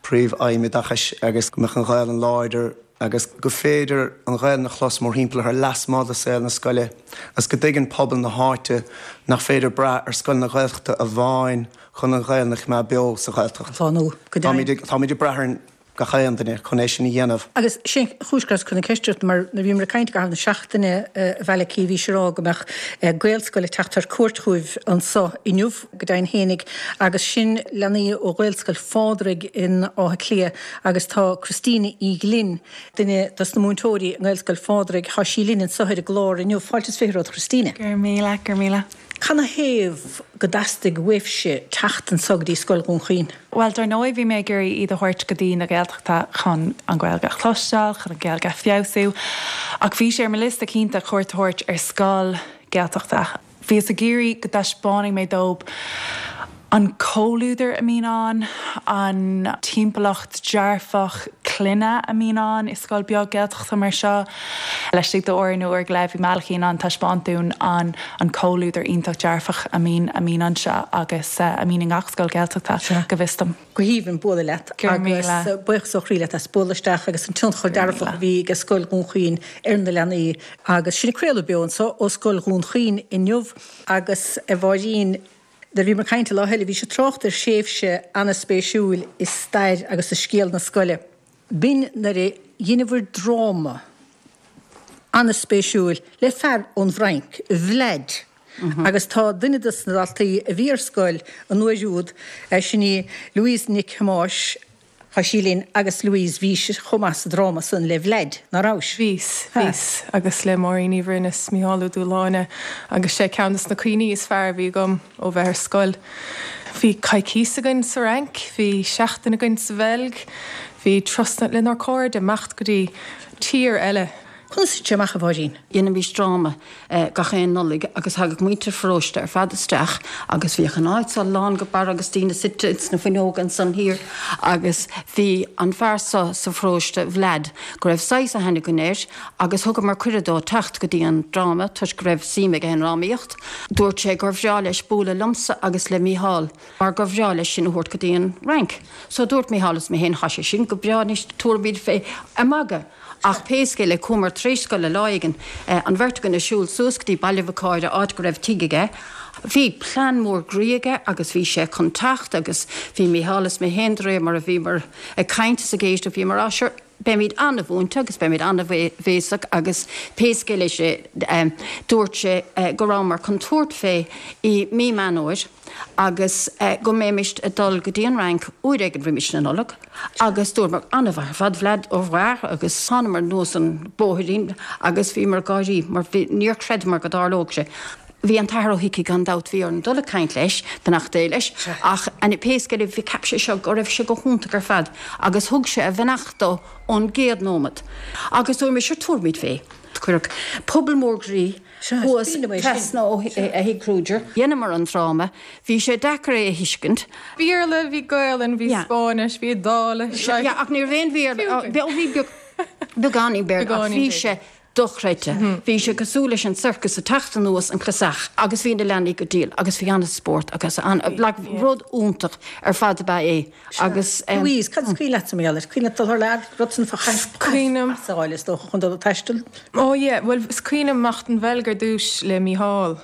príomh-aidhm oideachais agus go mbeadh an Ghaelainn láidir agus go féidir an Ghaelainn a chlos mórthimpeall uirthi lasmuigh de saol na scoile agus go dtuigeann pobal na háite nach féidir brath ar scoileanna Gaeltachta amháin chun an Ghaelainn a choimeád beo sa Ghaeltacht. Shlánú, go deimhin. Táimid ag brath ar gach aon duine chun é sin a dhéanamh. Agus sin an chúis go rabhas ag cur na ceiste ort, mar nuair a bhíomar ag caint i gcaitheamh na seachtaine, a Mhalachy, bhís ag rá go mbeadh Gaelscoil ag teacht ar cuairt chugaibh anso inniu, go deimhin fhéinig, agus sin leanaí ó Ghaelscoil Phádraig in Áth Cliath agus tá Christina Uí Ghlinn, duine dos na múinteoirí i nGaelscoil Phádraig, tá sí linn anso ar an gclár inniu. Fáilte is 20 romhat, Christina. Go raibh míle, go raibh míle. Canathaobh go dteastaigh uaibhse teacht anso go dtí Scoil Dhún Chaoin? Bhuel, dar ndóigh bhí mé ag iarraidh iad a thabhairt go dtí na Gaeltachta chun an Ghaeilge a chloisteáil, chun an Ghaeilge a feabhsú. Ach bhí sé ar mo liosta cinnte cuairt a thabhairt ar scoil Gaeltachta. Bhíos ag iarraidh go dtaispeánfaidh mé dóibh an comhluadar a mbíonn ann, an timpeallacht dearfach clainne a mbíonn ann i scoil beag Gaeltachta mar seo. Laistigh d'uair nó uair go leith bhí Malachy in ann taispeáint dúinn an an comhluadar iontach dearfach a mbíonn a mbíonn anseo agus a mbíonn i ngach scoil Gaeltachta, go bhfios dom. Go haoibhinn bualadh leat agus buíochas ó chroí leat as bualadh isteach agus an tionchar dearfach a bhí ag Scoil Dhún Chaoin ar na leanaí agus sinn ag craoladh beo anseo ó Scoil Dhún Chaoin inniu agus a Mháirín Nuair a bhíomar ag caint an lá eile bhís ag trácht ar thréimhse ana-spéisiúil i stair agus i scéal na scoile. B'in nuair a dheineabhair dráma ana-spéisiúil le fear ón bhFrainc, Vlad. Agus tá duine dos na daltaí a bhí ar scoil an uair úd, sin í Louise Nic Thomáis, Tá sí linn agus Louise, bhís chomh maith sa dráma san le Vlad, ná rabhais? Bhíos, bhíos, agus le Máirín Uí Bhroin is Mícheál Ó Dúshláine agus sé ceann des na cuimhní is fearr a bhí agam ó bheith ar scoil. Bhí coicíos againn sa Fhrainc, bhí seachtain againn sa Bheilg, bhí turasanna lenár cairde, imeacht go dtí tír eile. Conas a thit sé amach, a Mháirín? Dheinimís dráma gach aon Nollaig agus thagadh muintir pharóiste ar fad isteach agus bhíodh an áit so lán go barra agus daoine suite ins na fuinneoga ansan thiar agus bhí an fear so sa pharóiste, Vlad, go raibh saghas aithne againn air agus thugamar cuireadh dó teacht go dtí an dráma toisc go raibh suim aige i ndrámaíocht. Dúirt sé gur bhreá leis bualadh liomsa agus le Mícheál mar gur bhreá leis sinn a thabhairt go dtí an Fhrainc. So dúirt Mícheál is mé féin, thá sé sin go breá anois tabharfaimid fé ar magadh. Ach pé scéal é, chuamar tar éis scoile lá éigin, an bheirt againn ag siúl suas go dtí Baile Mhic Cáire, áit go raibh tigh aige. Bhí plean mór groí aige agus bhí sé chun teacht agus bhí Mícheál is mé féin de réir mar a bhíomar ag caint is ag éisteacht, bhíomar á sure, beimid an-mhúinte agus beimid an-bhéasach agus pé scéal é sé, dúirt sé go rabhamar chun tabhairt fé i mí Meán Fhómhair. agus go mbeimis ag dul go dtí an Fhrainc uair éigin roimis na Nollag agus dúramar an-mhaith ar fad Vlad au revoir agus thánamar anuas an bóithrín agus bhíomar ag gáirí mar bhí níor chreideamar go dtarlódh sé. Bhí an tAthair Ó hIcí gan dabht bhí orainn dul ag caint leis, beannacht Dé leis, ach pé scéal é bhí cheap sé seo go raibh sé go hiontach ar fad agus thug sé a bheannacht dó ón gcéad nóimeat agus dúramar sure tabharfaimid fé. Cuireadh puball mór groí thuas trasna ó thigh Kruger. Dheineamar an dráma. Bhí sé deacair é a thuiscint. Béarla, bhí Gaolainn, bhí Spáinnis, bhí Iodáilis. Yeah, ach ní raibh aon Bhéarla, bhí beagáinín Béarla ach bhí sé dochreidte. Bhí sé cosúil leis an circus ag teacht anuas an clasach agus bhí na leanaí go diail agus bhí an-spórt agus an, like, rud iontach ar fad ab ea é. Agus. Louise, cad is cuimhin leatsa mar gheall air? Cuimhin leat dul thar lear, rud san fá chaith Cuimhním. pas a fháil is dócha chun dul ag taisteal? Ó yeah, bhuel is cuimhin liom imeacht don Bheilg ar dtúis le Mícheál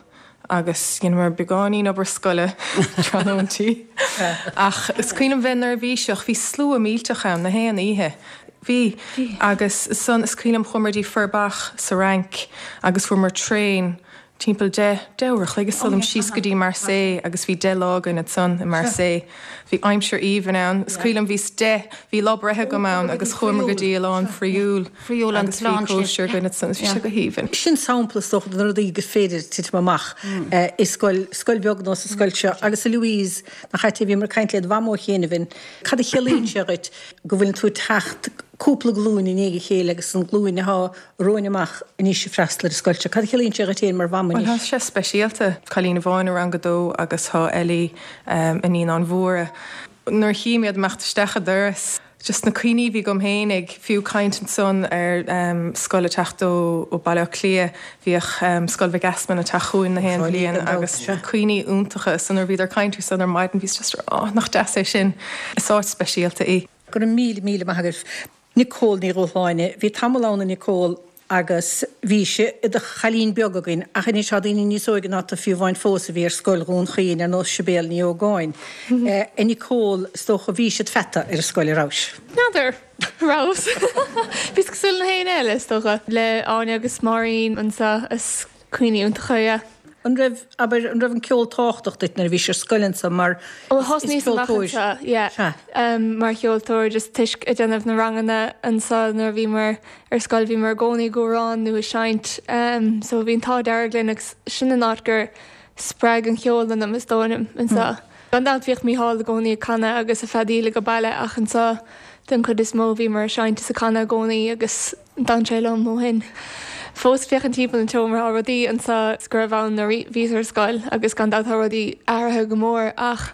agus dheineamar beagáinín obair scoile tráthnóintí ach is cuimhin liom bheith neirbhíseach, bhí slua millteach ann na haon oíche. Bhí. Agus ansan is cuimhin liom chuamar dtí Forbach sa Fhrainc agus fuaireamar traein Timpeall 10, 10 uair a chloig is dóigh liom, síos go dtí Marseille agus bhí 10 lá againn ansan i Marseille. Bhí aimsir aoibhinn ann. Is cuimhin liom bhíos 10, bhí lá breithe agam ann agus chuamar go dtí oileán Frioul agus bhí cóisir againn ansan. Bhí sé go haoibhinn. Sin sampla is dócha de na rudaí gur féidir titim amach i scoil, scoil bheag nós an scoil seo. Agus a Louise, nach ait é, bhíomar ag caint led mhamó chianaibh, cad a chiallaíonn sé dhuit go bhfuileann tú ag teacht cúpla glúin i ndiaidh a chéile agus an glúin atá romhainn amach anois ag freastal ar an scoil seo. Cad a chiallaíonn sé dhuit féin mar mham Bhuel, anois? tá sé speisialta. Cailín amháin i rang a dó agus tá Ellie i Naíonáin Mhóra. Nuair a chím iad imeacht isteach an doras, just na cuimhní a bhí agam féinig, fiú caint ansan ar scoil ag teacht ó Baile Átha Cliath, bhíodh Scoil Mhic Easmainn ag teacht chugainn na haon bhliain agus cuimhní iontacha. So nuair a bhíodar ag caint ar san ar maidin bhíos just oh, nach deas é sin. Is áit speisialta í. Go raibh míle, míle maith agaibh. Nicole Ní Dhúshláine, Bhí tamall ann a Nicole agus bhís i do chailín beag againn ach anois tá daoine níos óige ná tú fiú amháin fós a bhí ar scoil Dhún Chaoin ar nós Sibéal Ní Ógáin. A Nicole, is dócha bhís id pheata ar an scoil a rabhais? N'fheadar. Rabhas. Bhíos cosúil le na héinne eile is dócha. Le Áine agus Máirín anseo is Cuimhní iontacha, yeah. An raibh, abair, an raibh an ceol tábhachtach duit nuair a bhís ar scoil anso mar Ó is thosnaíos amach ceoltóir, anseo, yeah, sea. mar cheoltóir just toisc ag déanamh na ranganna anso nuair a bhíomar ar scoil bhíomar i gcónaí ag amhrán nó ag seinnt so bhí an t-ádh dearg linn agus sin an áit gur spreag an cheol ionam is dóigh liom anseo. Gan dabht bhíodh Mícheál i gcónaí ag canadh agus ag feadaíl ag baile ach anseo den chuid is mó bhíomar ag seinnt is ag canadh i gcónaí agus D'fhan sé liom ó shin. Fós féachaint timpeall an tseomra tá rudaí anseo go raibh ann nuair a bhíos ar scoil agus gan dabht tá rudaí athraithe go mór ach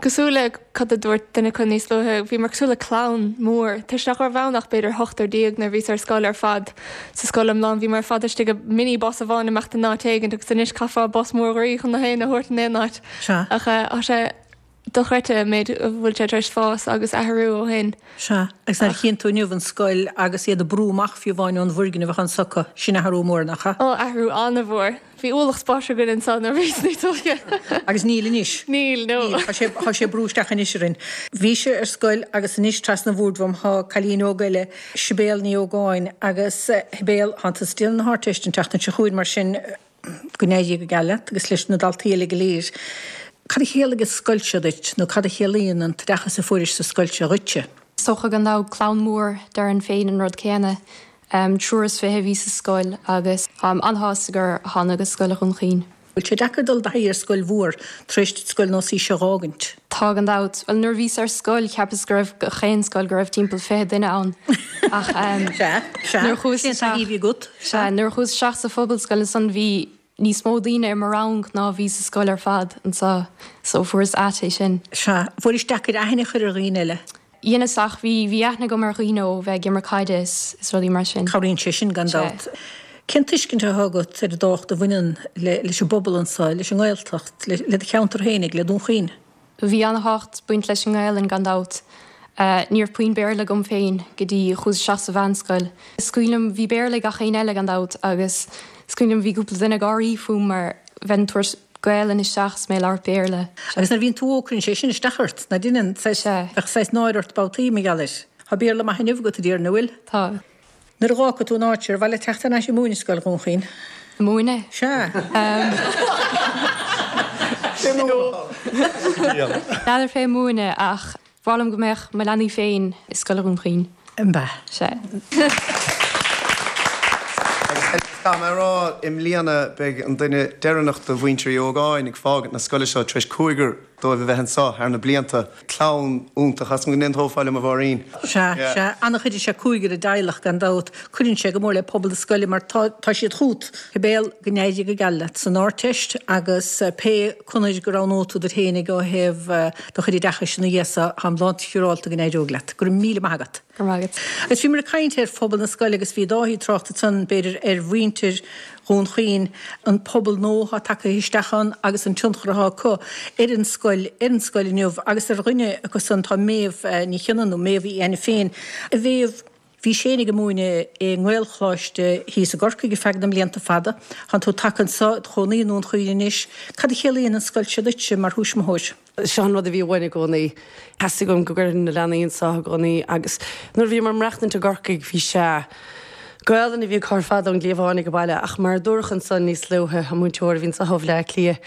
cosúil le cad a dúirt duine acu níos luaithe, bhíomar cosúil le clann mór toisc nach raibh ann ach b'fhéidir ochtar déag nuair a bhíos ar scoil ar fad sa scoil iomlán bhíomar ar fad istigh i mini bus amháin imeacht in áit éigint agus anois caithfeá bus mór groí chun na héinne a thabhairt in aon áit ach tá sé dochreidte an méid a bhfuil sé tar éis fás agus athrú ó shin. Sea, agus nuair a chíonn tú inniu an scoil agus iad ag brú amach fiú amháin ón bhfoirgneamh atá anso acu, sin athrú mór, nach ea? Ó, athrú an-mhór. Bhí ualach spáis againn anso nuair a bhíos níos óige. Agus níl anois. Níl, no. Níl, tá sé, tá sé ag brú isteach anois orainn. Bhís-se ar scoil agus anois trasna an bhoird uaim tá cailín óg eile, Sibéal Ní Ógáin, agus Shibéal, tánn tusa ag déanamh na hArdteiste an tseachtain seo chugainn mar sin. Go n-éirí go geal leat agus leis na daltaí eile go léir. Cad a chiallaigh an scoil seo duit nó cad a chiallaíonn an t-oideachas a fuairis sa scoil seo dhuitse? Is dócha gan dabht clann mhór, déarfainn féin an rud céanna. 23 a bhí sa scoil agus táim an-shásta gur thánag go Scoil Dhún Chaoin. Bhfuil sé deacair dul i dtaithí ar scoil mhór tar éis duit scoil nós í seo dh'fhágaint? Tá gan dabht. Bhuel nuair a bhíos ar scoil cheapas go raibh gach aon scoil go raibh timpeall 20 duine ann ach Sea, sea. nuair a chuas Cén taithí a bhí agat? Sea, nuair a chuas isteach sa phobalscoil ansan bhí níos mó daoine i mo rang ná a bhí sa scoil ar fad anseo so fuaireas ait é sin. Sea, fuairis deacair aithne a chur ar dhaoine eile? Dheineas ach bhí, bhí aithne agam ar dhaoine ó bheith ag imirt caide is, is rudaí mar sin. Cabhraíonn sé sin gan Sea. dabht. Cén tuiscint atá agat ar an dtábhacht a bhaineann le, leis an bpobal anseo, leis an nGaeltacht, le, le do cheantar féinig, le Dún Chaoin? Bhí ana-thábhacht ag baint leis an nGaelainn gan dabht. Ní raibh puinn Béarla agam féin go dtí chuas isteach sa mheánscoil. Is cuimhin liom, bhí Béarla ag gach éinne eile gan dabht agus is cuimhin liom bhí cúpla duine ag gáirí fúm mar bheinn ag tabhairt Gaelainn isteach is mé ag labhairt Béarla. Agus nuair a bhíonn tú óg cuireann sé sin isteach ort, ná deineann? Saghas, Sea. bheadh saghas náire ort babhtaí mar gheall air. Tá Béarla maith inniu agat a déarfainn, an bhfuil? Tá. Nuair a dh'fhágfaidh tú an áit seo, ar mhaith leat teacht thar n-ais ag múineadh i Scoil Dhún Chaoin? Ag múineadh? Sea. N'fheadar fé múineadh ach b'fhearr liom go mbeadh mo leanaí féin i Scoil Dhún Chaoin. An b'ea? Sea. Agus caithfidh mé a rá, i mbliana beidh an duine deireanach de mhuintir Uí Ógáin ag fágaint na scoile seo tar éis cúigear dóibh a bheith anseo thar na blianta. Clann iontach, as go n-aontófá liom a Mháirín. Sea, sea, an-chuideoidh sé cúigear i dteaghlach gan dabht. Cuireann sé go mór le pobal na scoile mar tá, tá siad chút. Cibé, go n-éirí go geal leat san Ardteist agus pé conair go roghnóidh tú duit fhéinig ó thaobh do chuid oideachais ina dhiaidh so, táim lánsiúrálta go n-éireoidh leat. Go raibh míle maith agat. Go raibh maith agat. Agus bhíomar ag caint ar phobal na scoile agus bhí Dáithí ag trácht ansan, b'fhéidir, ar mhuintir Dhún Chaoin, an pobal nua atá tagtha isteach ann agus an tionchar atá acu ar an scoil, ar an scoil inniu agus ar dhuine acu san tá Méabh Ní Chionnaith nó Méabh Uí Ainiféin. A Mhéabh, bhís féinig ag múineadh i nGaelcholáiste thíos i gCorcaigh ar feadh na mblianta fada. Tánn tú tagtha anso, id chónaí i nDún Chaoin anois. Cad a chiallaíonn an scoil seo duitse mar thuismitheoir? Seo an rud a bhí uainn i gcónaí. Theastaigh uaim go gcuirfinn na leanaí anseo i gcónaí agus nuair a bhíomar ag maireachtaint i gCorcaigh bhí sé Gaolainn a bhí acu ar fad ón gcliabhán ag baile ach mar a dúradh ansan níos luaithe, an múinteoir a bhí anseo ó Bhleá Cliath,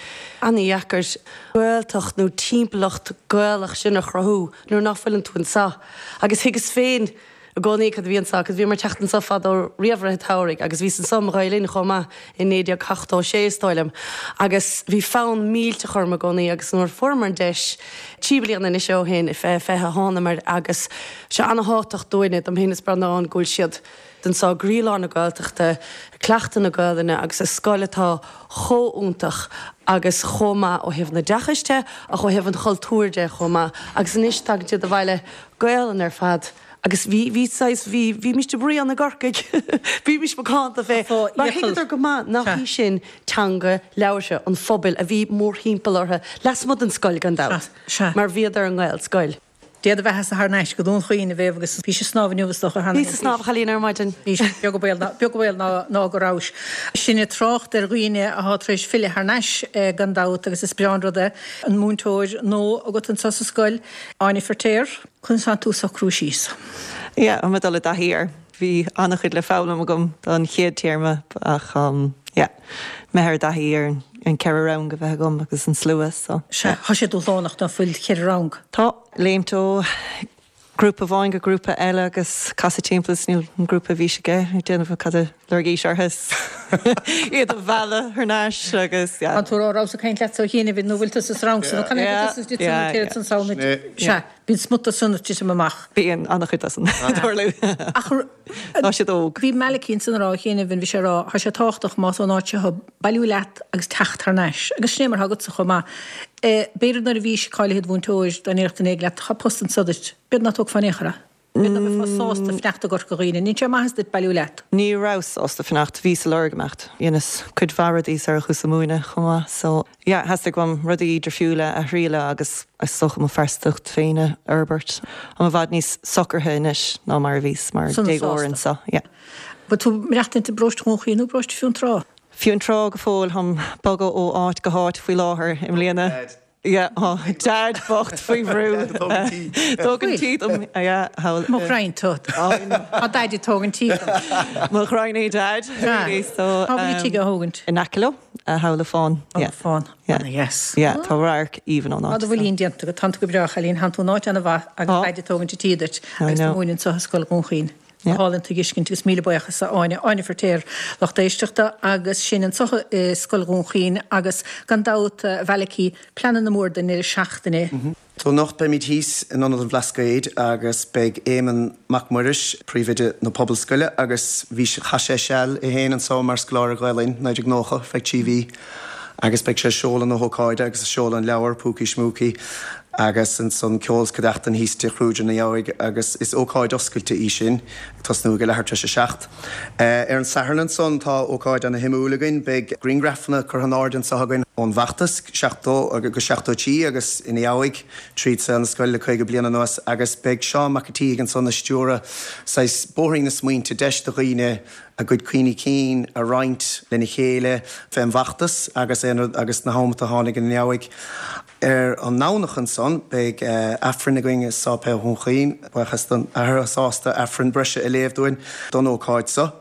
an-dheacair Gaeltacht nó timpeallacht Gaelach sin a chruthú nuair ná fuileann tú anseo. Agus thuigeas féin i gcónaí cad a bhí anseo agus bhíomar ag teacht anseo fadó riamh i rith an tsamhraidh agus bhíos anseo i mo Ghael-Linn chomh maith i 1976 is dóigh liom agus bhí fonn millteach orm i gcónaí agus nuair a fuaireamar an deis trí bliana anois ó shin i 2020 thánamar agus sé ana-thábhachtach dúinne, dom féin is Breandán, go bhfuil siad anseo i gcroílár na Gaeltachta, ag cleachtadh na Gaelainne agus i scoil atá chomh iontach agus chomh maith ó thaobh an oideachais de ach ó thaobh an chultúir de chomh maith agus anois tagann siad abhaile Gaelainn ar fad. Agus bhí, bhí saghas, bhí, bhímist ag bruíon i gCorcaigh, bhímist macánta fé, mar thuigeadar go maith nach í sin teanga labhartha an phobail a bhí mórthimpeall orthu, lasmuigh den scoil gan dabht, mar bhíodar i nGaelscoil. Dé do bheatha-sa thar n-ais go Dún Chaoin, a Mhéabh, agus bhís ag snámh inniu is dócha cheana. Bhíos ag snámh a chailín ar maidin. Bhís, beag an baol ná, beag an baol ná, ná go rabhais. Sinn ag trácht ar dhaoine athá tar éis filleadh thar n-ais gan dabht agus is breá an rud é an múinteoir nua agat anseo sa scoil, Áine Feirtéar. Conas atá tú ag socrú síos? Yeah, tá mé ag dul i dtaithí air. Bhí an-chuid le foghlaim agam don chéad téarma ach yeah, imithe i dtaithí ar an ceithre rang a bheith agam agus an slua so. Sea, tá sé dúshlánach ná fuil cheithre rang? Tá. Léimt ó grúpa amháin go grúpa eile agus casadh timpeall is níl an grúpa a bhís aige ag déanamh cad a lorgaís orthu is iad a mhealladh thar n-ais agus yeah. An tú a rabhas ag caint leatsa ó chianaibh nó bhfuil tusa sa rang san nó can é Yeah, yeah. Sea. Bíonn smut de san ag titim amach. Bíonn an-chuid de san ag tarlú. Ach Tá siad óg. Bhí Malachy ansan ag rá cheana bhí sé ag rá, tá sé tábhachtach más ón áit seo thú, bailiú leat agus teacht thar n-ais. Agus sin é mar atá agatsa chomh maith. B'fhéidir nuair a bhís cáilithe id mhúinteoir, dá ndéarfadh duine éigin leat, tá post anso duit, b'fhéidir ná tógfá in aon chor é. B'fhéidir ná beifeá sásta fanacht i gCorca Dhuibhne. An ndéanann sé maitheas duit bailiú leat. Ní rabhas sásta fanacht, bhíos ag lorg imeacht. Dheineas cuid mhaith rudaí sar a chuas ag múineadh chomh maith so yeah theastaigh uaim rudaí difriúla a thriail agus is dócha mo phearsantacht féin a fhorbairt. Táim i bhfad níos socraithe anois ná mar a bhíos mar Sona déagóir sásta. anso yeah. Bhfuil tú ag maireachtaint i bparóiste Dhún Chaoin nó i bparóiste Fionntrá? Fionntrá go fóill, táim ag bogadh ó áit go háit faoi láthair i mbliana. Yeah, tá Dad bocht faoi bhrú. Tógaint tí dom. Yeah, thall. Mo ghraidhin tú. Tá Daid ag tógaint tí dom. Mo ghraidhin é Dad, really, so. Cá bhfuil an tigh á thógaint? In aice leo. Thamhlaigh Fáin. Thamhlaigh Fáin. Yeah. Ana dheas. Yeah, tá radharc aoibhinn ón áit. Tá do mhuilín déanta agat, tánn tú go breá, a chailín, thánn tú in áit ana mhaith agus Daid ag tógaint an tí duit agus tú múineadh anso i Scoil Dhún Chaoin. Go hálainn tuiscint agus míle buíochas a Áine. Áine Feirtéar, lucht éisteachta agus sinn anso i Scoil Dhún Chaoin agus gan dabht a Mhalachy, pleananna mór don ndeireadh seachtaine. So anocht beimid thíos in Ionad an Bhlascaoid agus beidh Éamonn Mac Muiris, Príomhoide na Pobalscoile agus bhí, chaith sé seal é féin anso mar scoláire Gael-Linn, 1990, feadh 3 mhí agus beidh sé ag seoladh na hócáide agus ag seoladh an leabhair, Púcaí Smúcaí agus ansan ceol 's cuideachtain thíos Tigh Chrúide ina dheabhaidh agus is ócáid oscailte í sin, ag tosnú ag a leathuair tar éis a 7. Ar an Satharn ansan tá ócáid ana shuimiúil againn, beidh griangrafanna curtha in airde anso againn ón bhfeachtas 70-73 agus ina dheabhaidh tríd saol na scoile le 50 bliain anuas agus beidh Seán Mac an tSíthigh ansan ag stiúradh saghas bóithrín na smaointe, deis do dhaoine a gcuid cuimhní cinn a roinnt lena chéile fén bhfeachtas agus aon rud agus na hamanta a tháinig ina dheabhaidh. Ar an nDomhnach ansan beidh Aifreann againn i Sáipéal Dhún Chaoin. Buíochas don Athair atá sásta Aifreann breise a léamh dúinn don ócáid so.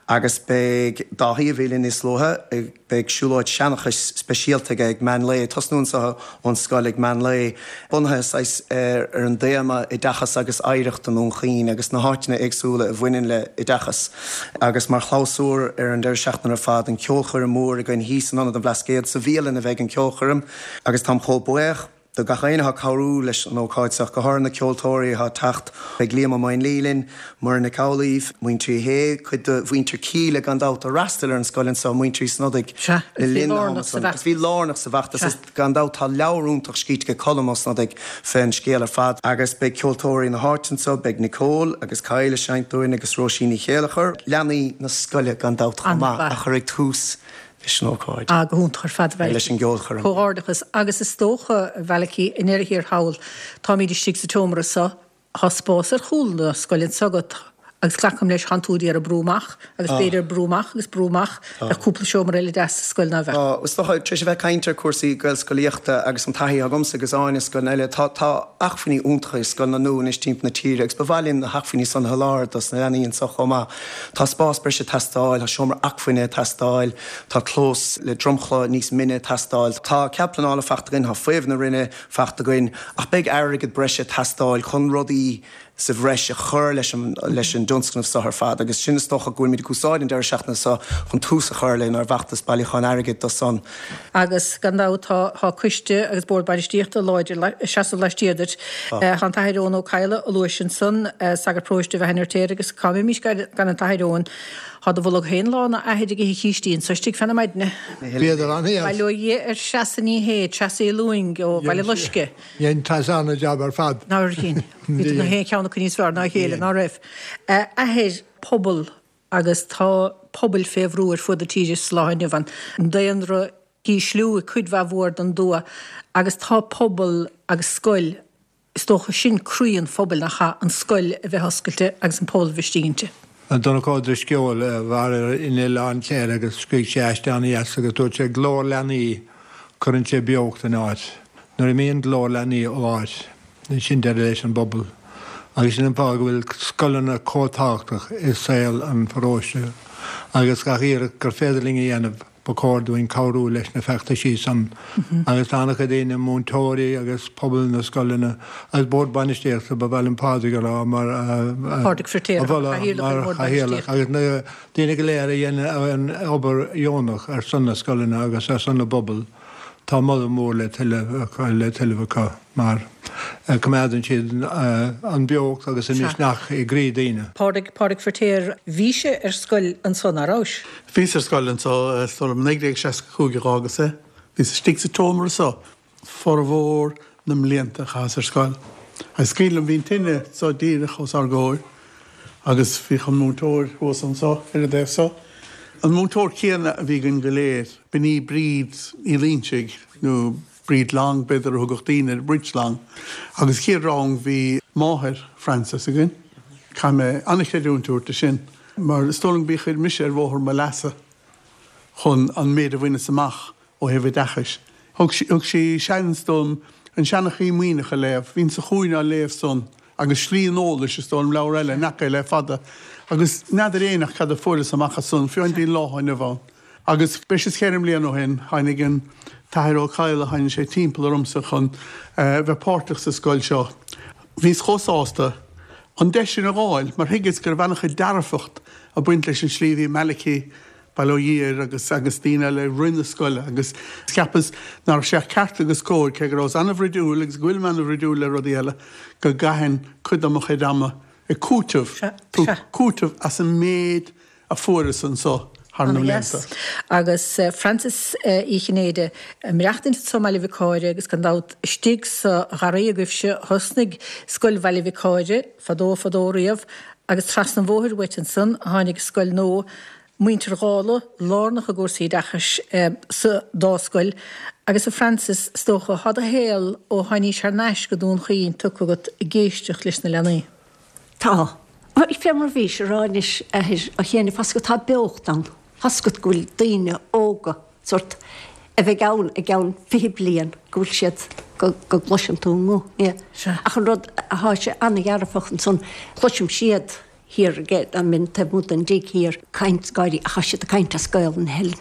Agus beidh Dáithí, a bhí linn níos luaithe, beidh siúlóid seanchais speisialta aige ag meán lae, tosnú anso ón scoil ag meán lae, bunaithe saghas ar an dtéama Oideachas agus Oidhreacht i nDún Chaoin agus na háiteanna éagsúla a bhaineann le oideachas. Agus mar chlabhsúr ar an deireadh seachtaine ar fad, an ceolchoirm mhór againn thíos in Ionad an Bhlascaoid, sa bhialann a bheidh an ceolchoirm. Agus táim chomh buíoch do gach éinne atá ag cabhrú leis an ócáid seo, go háirithe na ceoltóirí atá ag teacht. Beidh Liam Ó Maonlaí linn, Muireann Nic Amhlaoibh, Muintir Uí Shé, cuid de mhuintir Kíla gan dabht a fhreastail ar an scoil anseo, Muintir Uí Snodaigh Sea, le agus bhí linn na lárnach hama sa san. Agus bhí lárnach sa bhfeachtas. Sea. Agus gan dabht tá leabhar iontach scríte ag Colm Ó Snodaigh fén scéal ar fad. Agus beidh ceoltóirí na háite anseo, beidh Nicole agus Kyle ag seinnt dúinn agus Róisín Ní Chéilleachair, leanaí na scoile gan dabht chomh maith, a chuirfidh tús leis an ócáid. Ah, go hiontach ar fad, a Mhalachy. Leis an gceolchoirm. Comhghairdeachas. Agus is dócha, a Mhalachy, i ndeireadh thiar thall, táimid istigh sa tseomra seo, tá spás ar chúl na scoile anseo agat agus glacaim leis, thánn tú d'iarraidh brú amach agus b'fhéidir brú amach agus brú amach, bheadh cúpla seomra eile deas sa scoil ná bheadh? Tá, is dócha, tar éis a bheith ag caint ar chúrsaí Gaelscolaíochta agus an taithí agamsa agus Áine i scoileanna eile, tá, tá acmhainní iontacha i scoileanna nua anois timpeall na tíre agus ba mhaith linn na hacmhainní san a sholáthar dos na leanaí anseo chomh maith. Tá spás breise ag teastáil, tá seomra acmhainne ag teastáil, tá clós le dromchla níos mine ag teastáil. Tá cead pleanála faighte againn, tá faomhadh na Roinne faighte againn, ach beidh airgead breise ag teastáil chun rudaí sa bhreis a chur leis an leis an dtionscnamh seo ar fad agus sin is dócha go bhfuilimid ag úsáid an deireadh seachtaine seo chun tús a chur lenár bhfeachtas bailiúcháin airgid do san. Agus gan dabht tá tá coiste agus bord bainistíochta láidir ag seasamh laistiar duit. Tá an tAthair Eoin Ó Cadhla a luais ansan, sagart paróiste Bheatha an Fheirtéaraigh agus cá mbeimis gan an tAthair Eoin. Tá do bholg féin lán a Athair ag ithe cístí anso istigh fé na maidne. Bhíodar an-dheas. Bail ó Dhia ar Threasa Ní Shé, Treasa Uí Lúing ó Bhaile Loisce. Dhein Treasa an-jab ar fad. Nár dhein. Bhí na haon cheann acu níos fearr ná a chéile, ná raibh. A Athair, pobal agus tá pobail fé bhrú ar fuaid na tíre sa lá inniu ann. An daonra ag ísliú i cuid mhaith mhór den dtuath agus tá pobal agus scoil, is dócha sin croí an phobail, nach ea, an scoil a bheith oscailte agus an pobal a bheith istigh inti. Donncha Ó Drisceoil, a mhair in Oileán Chléire agus scrígh sé aiste an-dheas agus dúirt sé glór leanaí, cuireann sé beocht in áit. Nuair a imíonn glór leanaí ó áit, sin deireadh leis an bpobal. Agus sin an fáth go bhfuil scoileanna chomh tábhachtach i saol an pharóiste agus gach iarracht gur féidir linn a dhéanamh ba chóir dúinn cabhrú leis na feachtaisí san. Agus tá an-chuid daoine, múinteoirí agus pobal na scoileanna agus bord bainistíochta, ba mhaith liom Pádraig a rá mar a Pádraig Firtéar, mholadh mar chathaoirleach agus na daoine go léir a dhéanann an obair dheonach ar son na scoileanna agus ar son na bpobal. Tá moladh mór le tuilleamh acu mar coimeádann siad an beocht agus an misneach i gcroí daoine. Pádraig, Pádraig Firtéar, Bhís ar scoil anso, ná rabhais? Bhíos ar scoil anso, is dóigh liom 1965 a dh'fhágas é. Bhíos istigh sa tseomra so formhór na mblianta a chaitheas ar scoil. Agus is cuimhin liom, bhí an tine so díreach os ár gcomhair agus bhíodh an múinteoir thuas anso ar an dtaobh so. An múinteoir céanna a bhí againn go léir, b'in í Bríd Uí Loinsigh, nó Bríd Long b'fhéidir a thugadh daoine uirthi, Bríd Long. Agus chéad rang bhí máthair Frances againn. Caithfidh mé an-chreidiúint a thabhairt di sin, mar is dóigh liom gurb í a chuir mise ar bhóthar mo leasa chun an méid a bhaineas amach ó thaobh oideachais. Thug thug sí seans dom an Seanchaí Muimhneach a léamh. Bhínn sa chúinne á léamh san agus Slí an Eolais, is dóigh liom, leabhar eile, nach é le fada. Agus n'fheadar éinne ach cad a fuaireas amach as san, fiú go dtí an lá inniu ann. Agus breis is cheithre mbliana ó shin, tháinig an tAthair Ó Cadhla, tháinig sé timpeall ormsa chun bheith páirteach sa scoil seo. Bhíos chomh sásta an deis sin a dh'fháil mar thuigeas go raibh an-chuid dearfacht ag baint leis an slí a bhí Malachy, bail ó Dhia air, agus agus daoine eile ag rith na scoile agus cheapas nach raibh sé ach ceart agus cóir, cé go rabhas an-bhroidiúil agus go bhfuilim an-bhroidiúil le rudaí eile, go gcaithfinn cuid de mo chuid ama ag cúiteamh, cúiteamh as an méid a fuaireas anso thar na blianta. Agus Frances Uí Chinnéide, ag maireachtaint anso i mBaile Mhic Cáire agus gan dabht istigh sa gharraí agaibhse thosnaigh Scoil Bhaile Mhic Cáire fadó fadó riamh agus trasna an bhóthair uait ansan a tháinig scoil nua Muintir Dhálaigh lárnach i gcúrsaí oideachais sa dá scoil agus a Frances is dócha thá do shaol ó tháinís thar n-ais go Dún Chaoin tugtha agat ag éisteacht leis na leanaí. Tá. Bhuel, fé mar a bhís a rá anois, a Athair, a Chéin, fá's agat tá beocht ann. Fá's agat go bhfuil daoine óga, sórt, a bheidh ann i gceann 20 bliain, go bhfuil siad, go, go gcloiseann tú a nguth, yeah. Ach an rud athá sé an-dhearfach ansan, cloisim siad thiar ag an mbinn taobh amuigh den dtigh thiar, caint, gáirí, ach tá siad ag caint as Gaolainn na hEilean.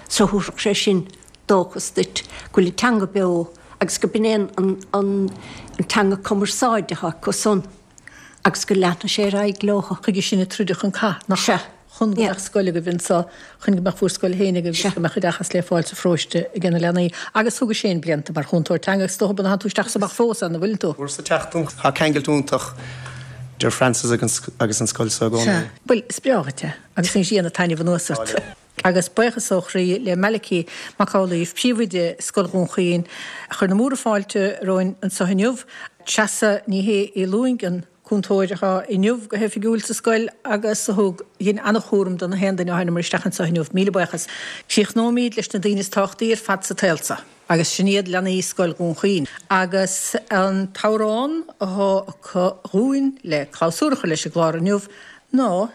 So thabharfadh sé sin dóchas duit go bhfuil an teanga beo agus go b'in é an, an, an teanga cumarsáide atá acu san. agus go leanfaidh sé ar aghaidh leo. Chuige sin a troideadh an cath, nach ea? Chun go mbeadh scoil agaibh anseo, chun go mbeadh bhur scoil féin agaibh agus go mbeadh oideachas le fáil sa pharóiste ag na leanaí. Agus thugais féin blianta mar chúntóir teanga agus is dócha an dtánn tú isteach is amach fós ann, an bhfuileann tú? Uair sa tseachtain. Tá ceangailt iontach idir Frances agus an scoil seo i gcónaí. Sea. Bhuel, is breá dhuit é agus anois déanfaidh taitneamh anuas ort. Agus buíochas ó chroí le Malachy Mac Amhlaoibh, Príomhoide Scoil Dhún Chaoin, a chuir na múra fáilte romhainn anseo inniu. Treasa Ní Shé Uí Lúing, an cúntóir atá inniu go hoifigiúil sa scoil agus a thug, dhein an-chúram do na haon duine a tháinamar isteach anseo inniu. Míle buíochas. Críochnóimíd leis na daoine is tábhachtaí ar fad sa tsaol seo, agus sin iad leanaí Scoil Dhún Chaoin. Agus an t-amhrán athá acu dhúinn le clabhsúr a chur leis an gclár inniu ná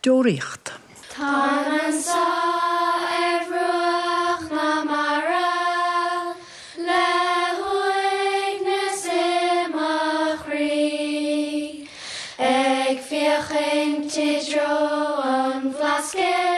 Deoraíocht. Táim anso ar bhruach na mara le huaigneas i mo chroí, ag féachaint i dtreo an Bhlascaoid.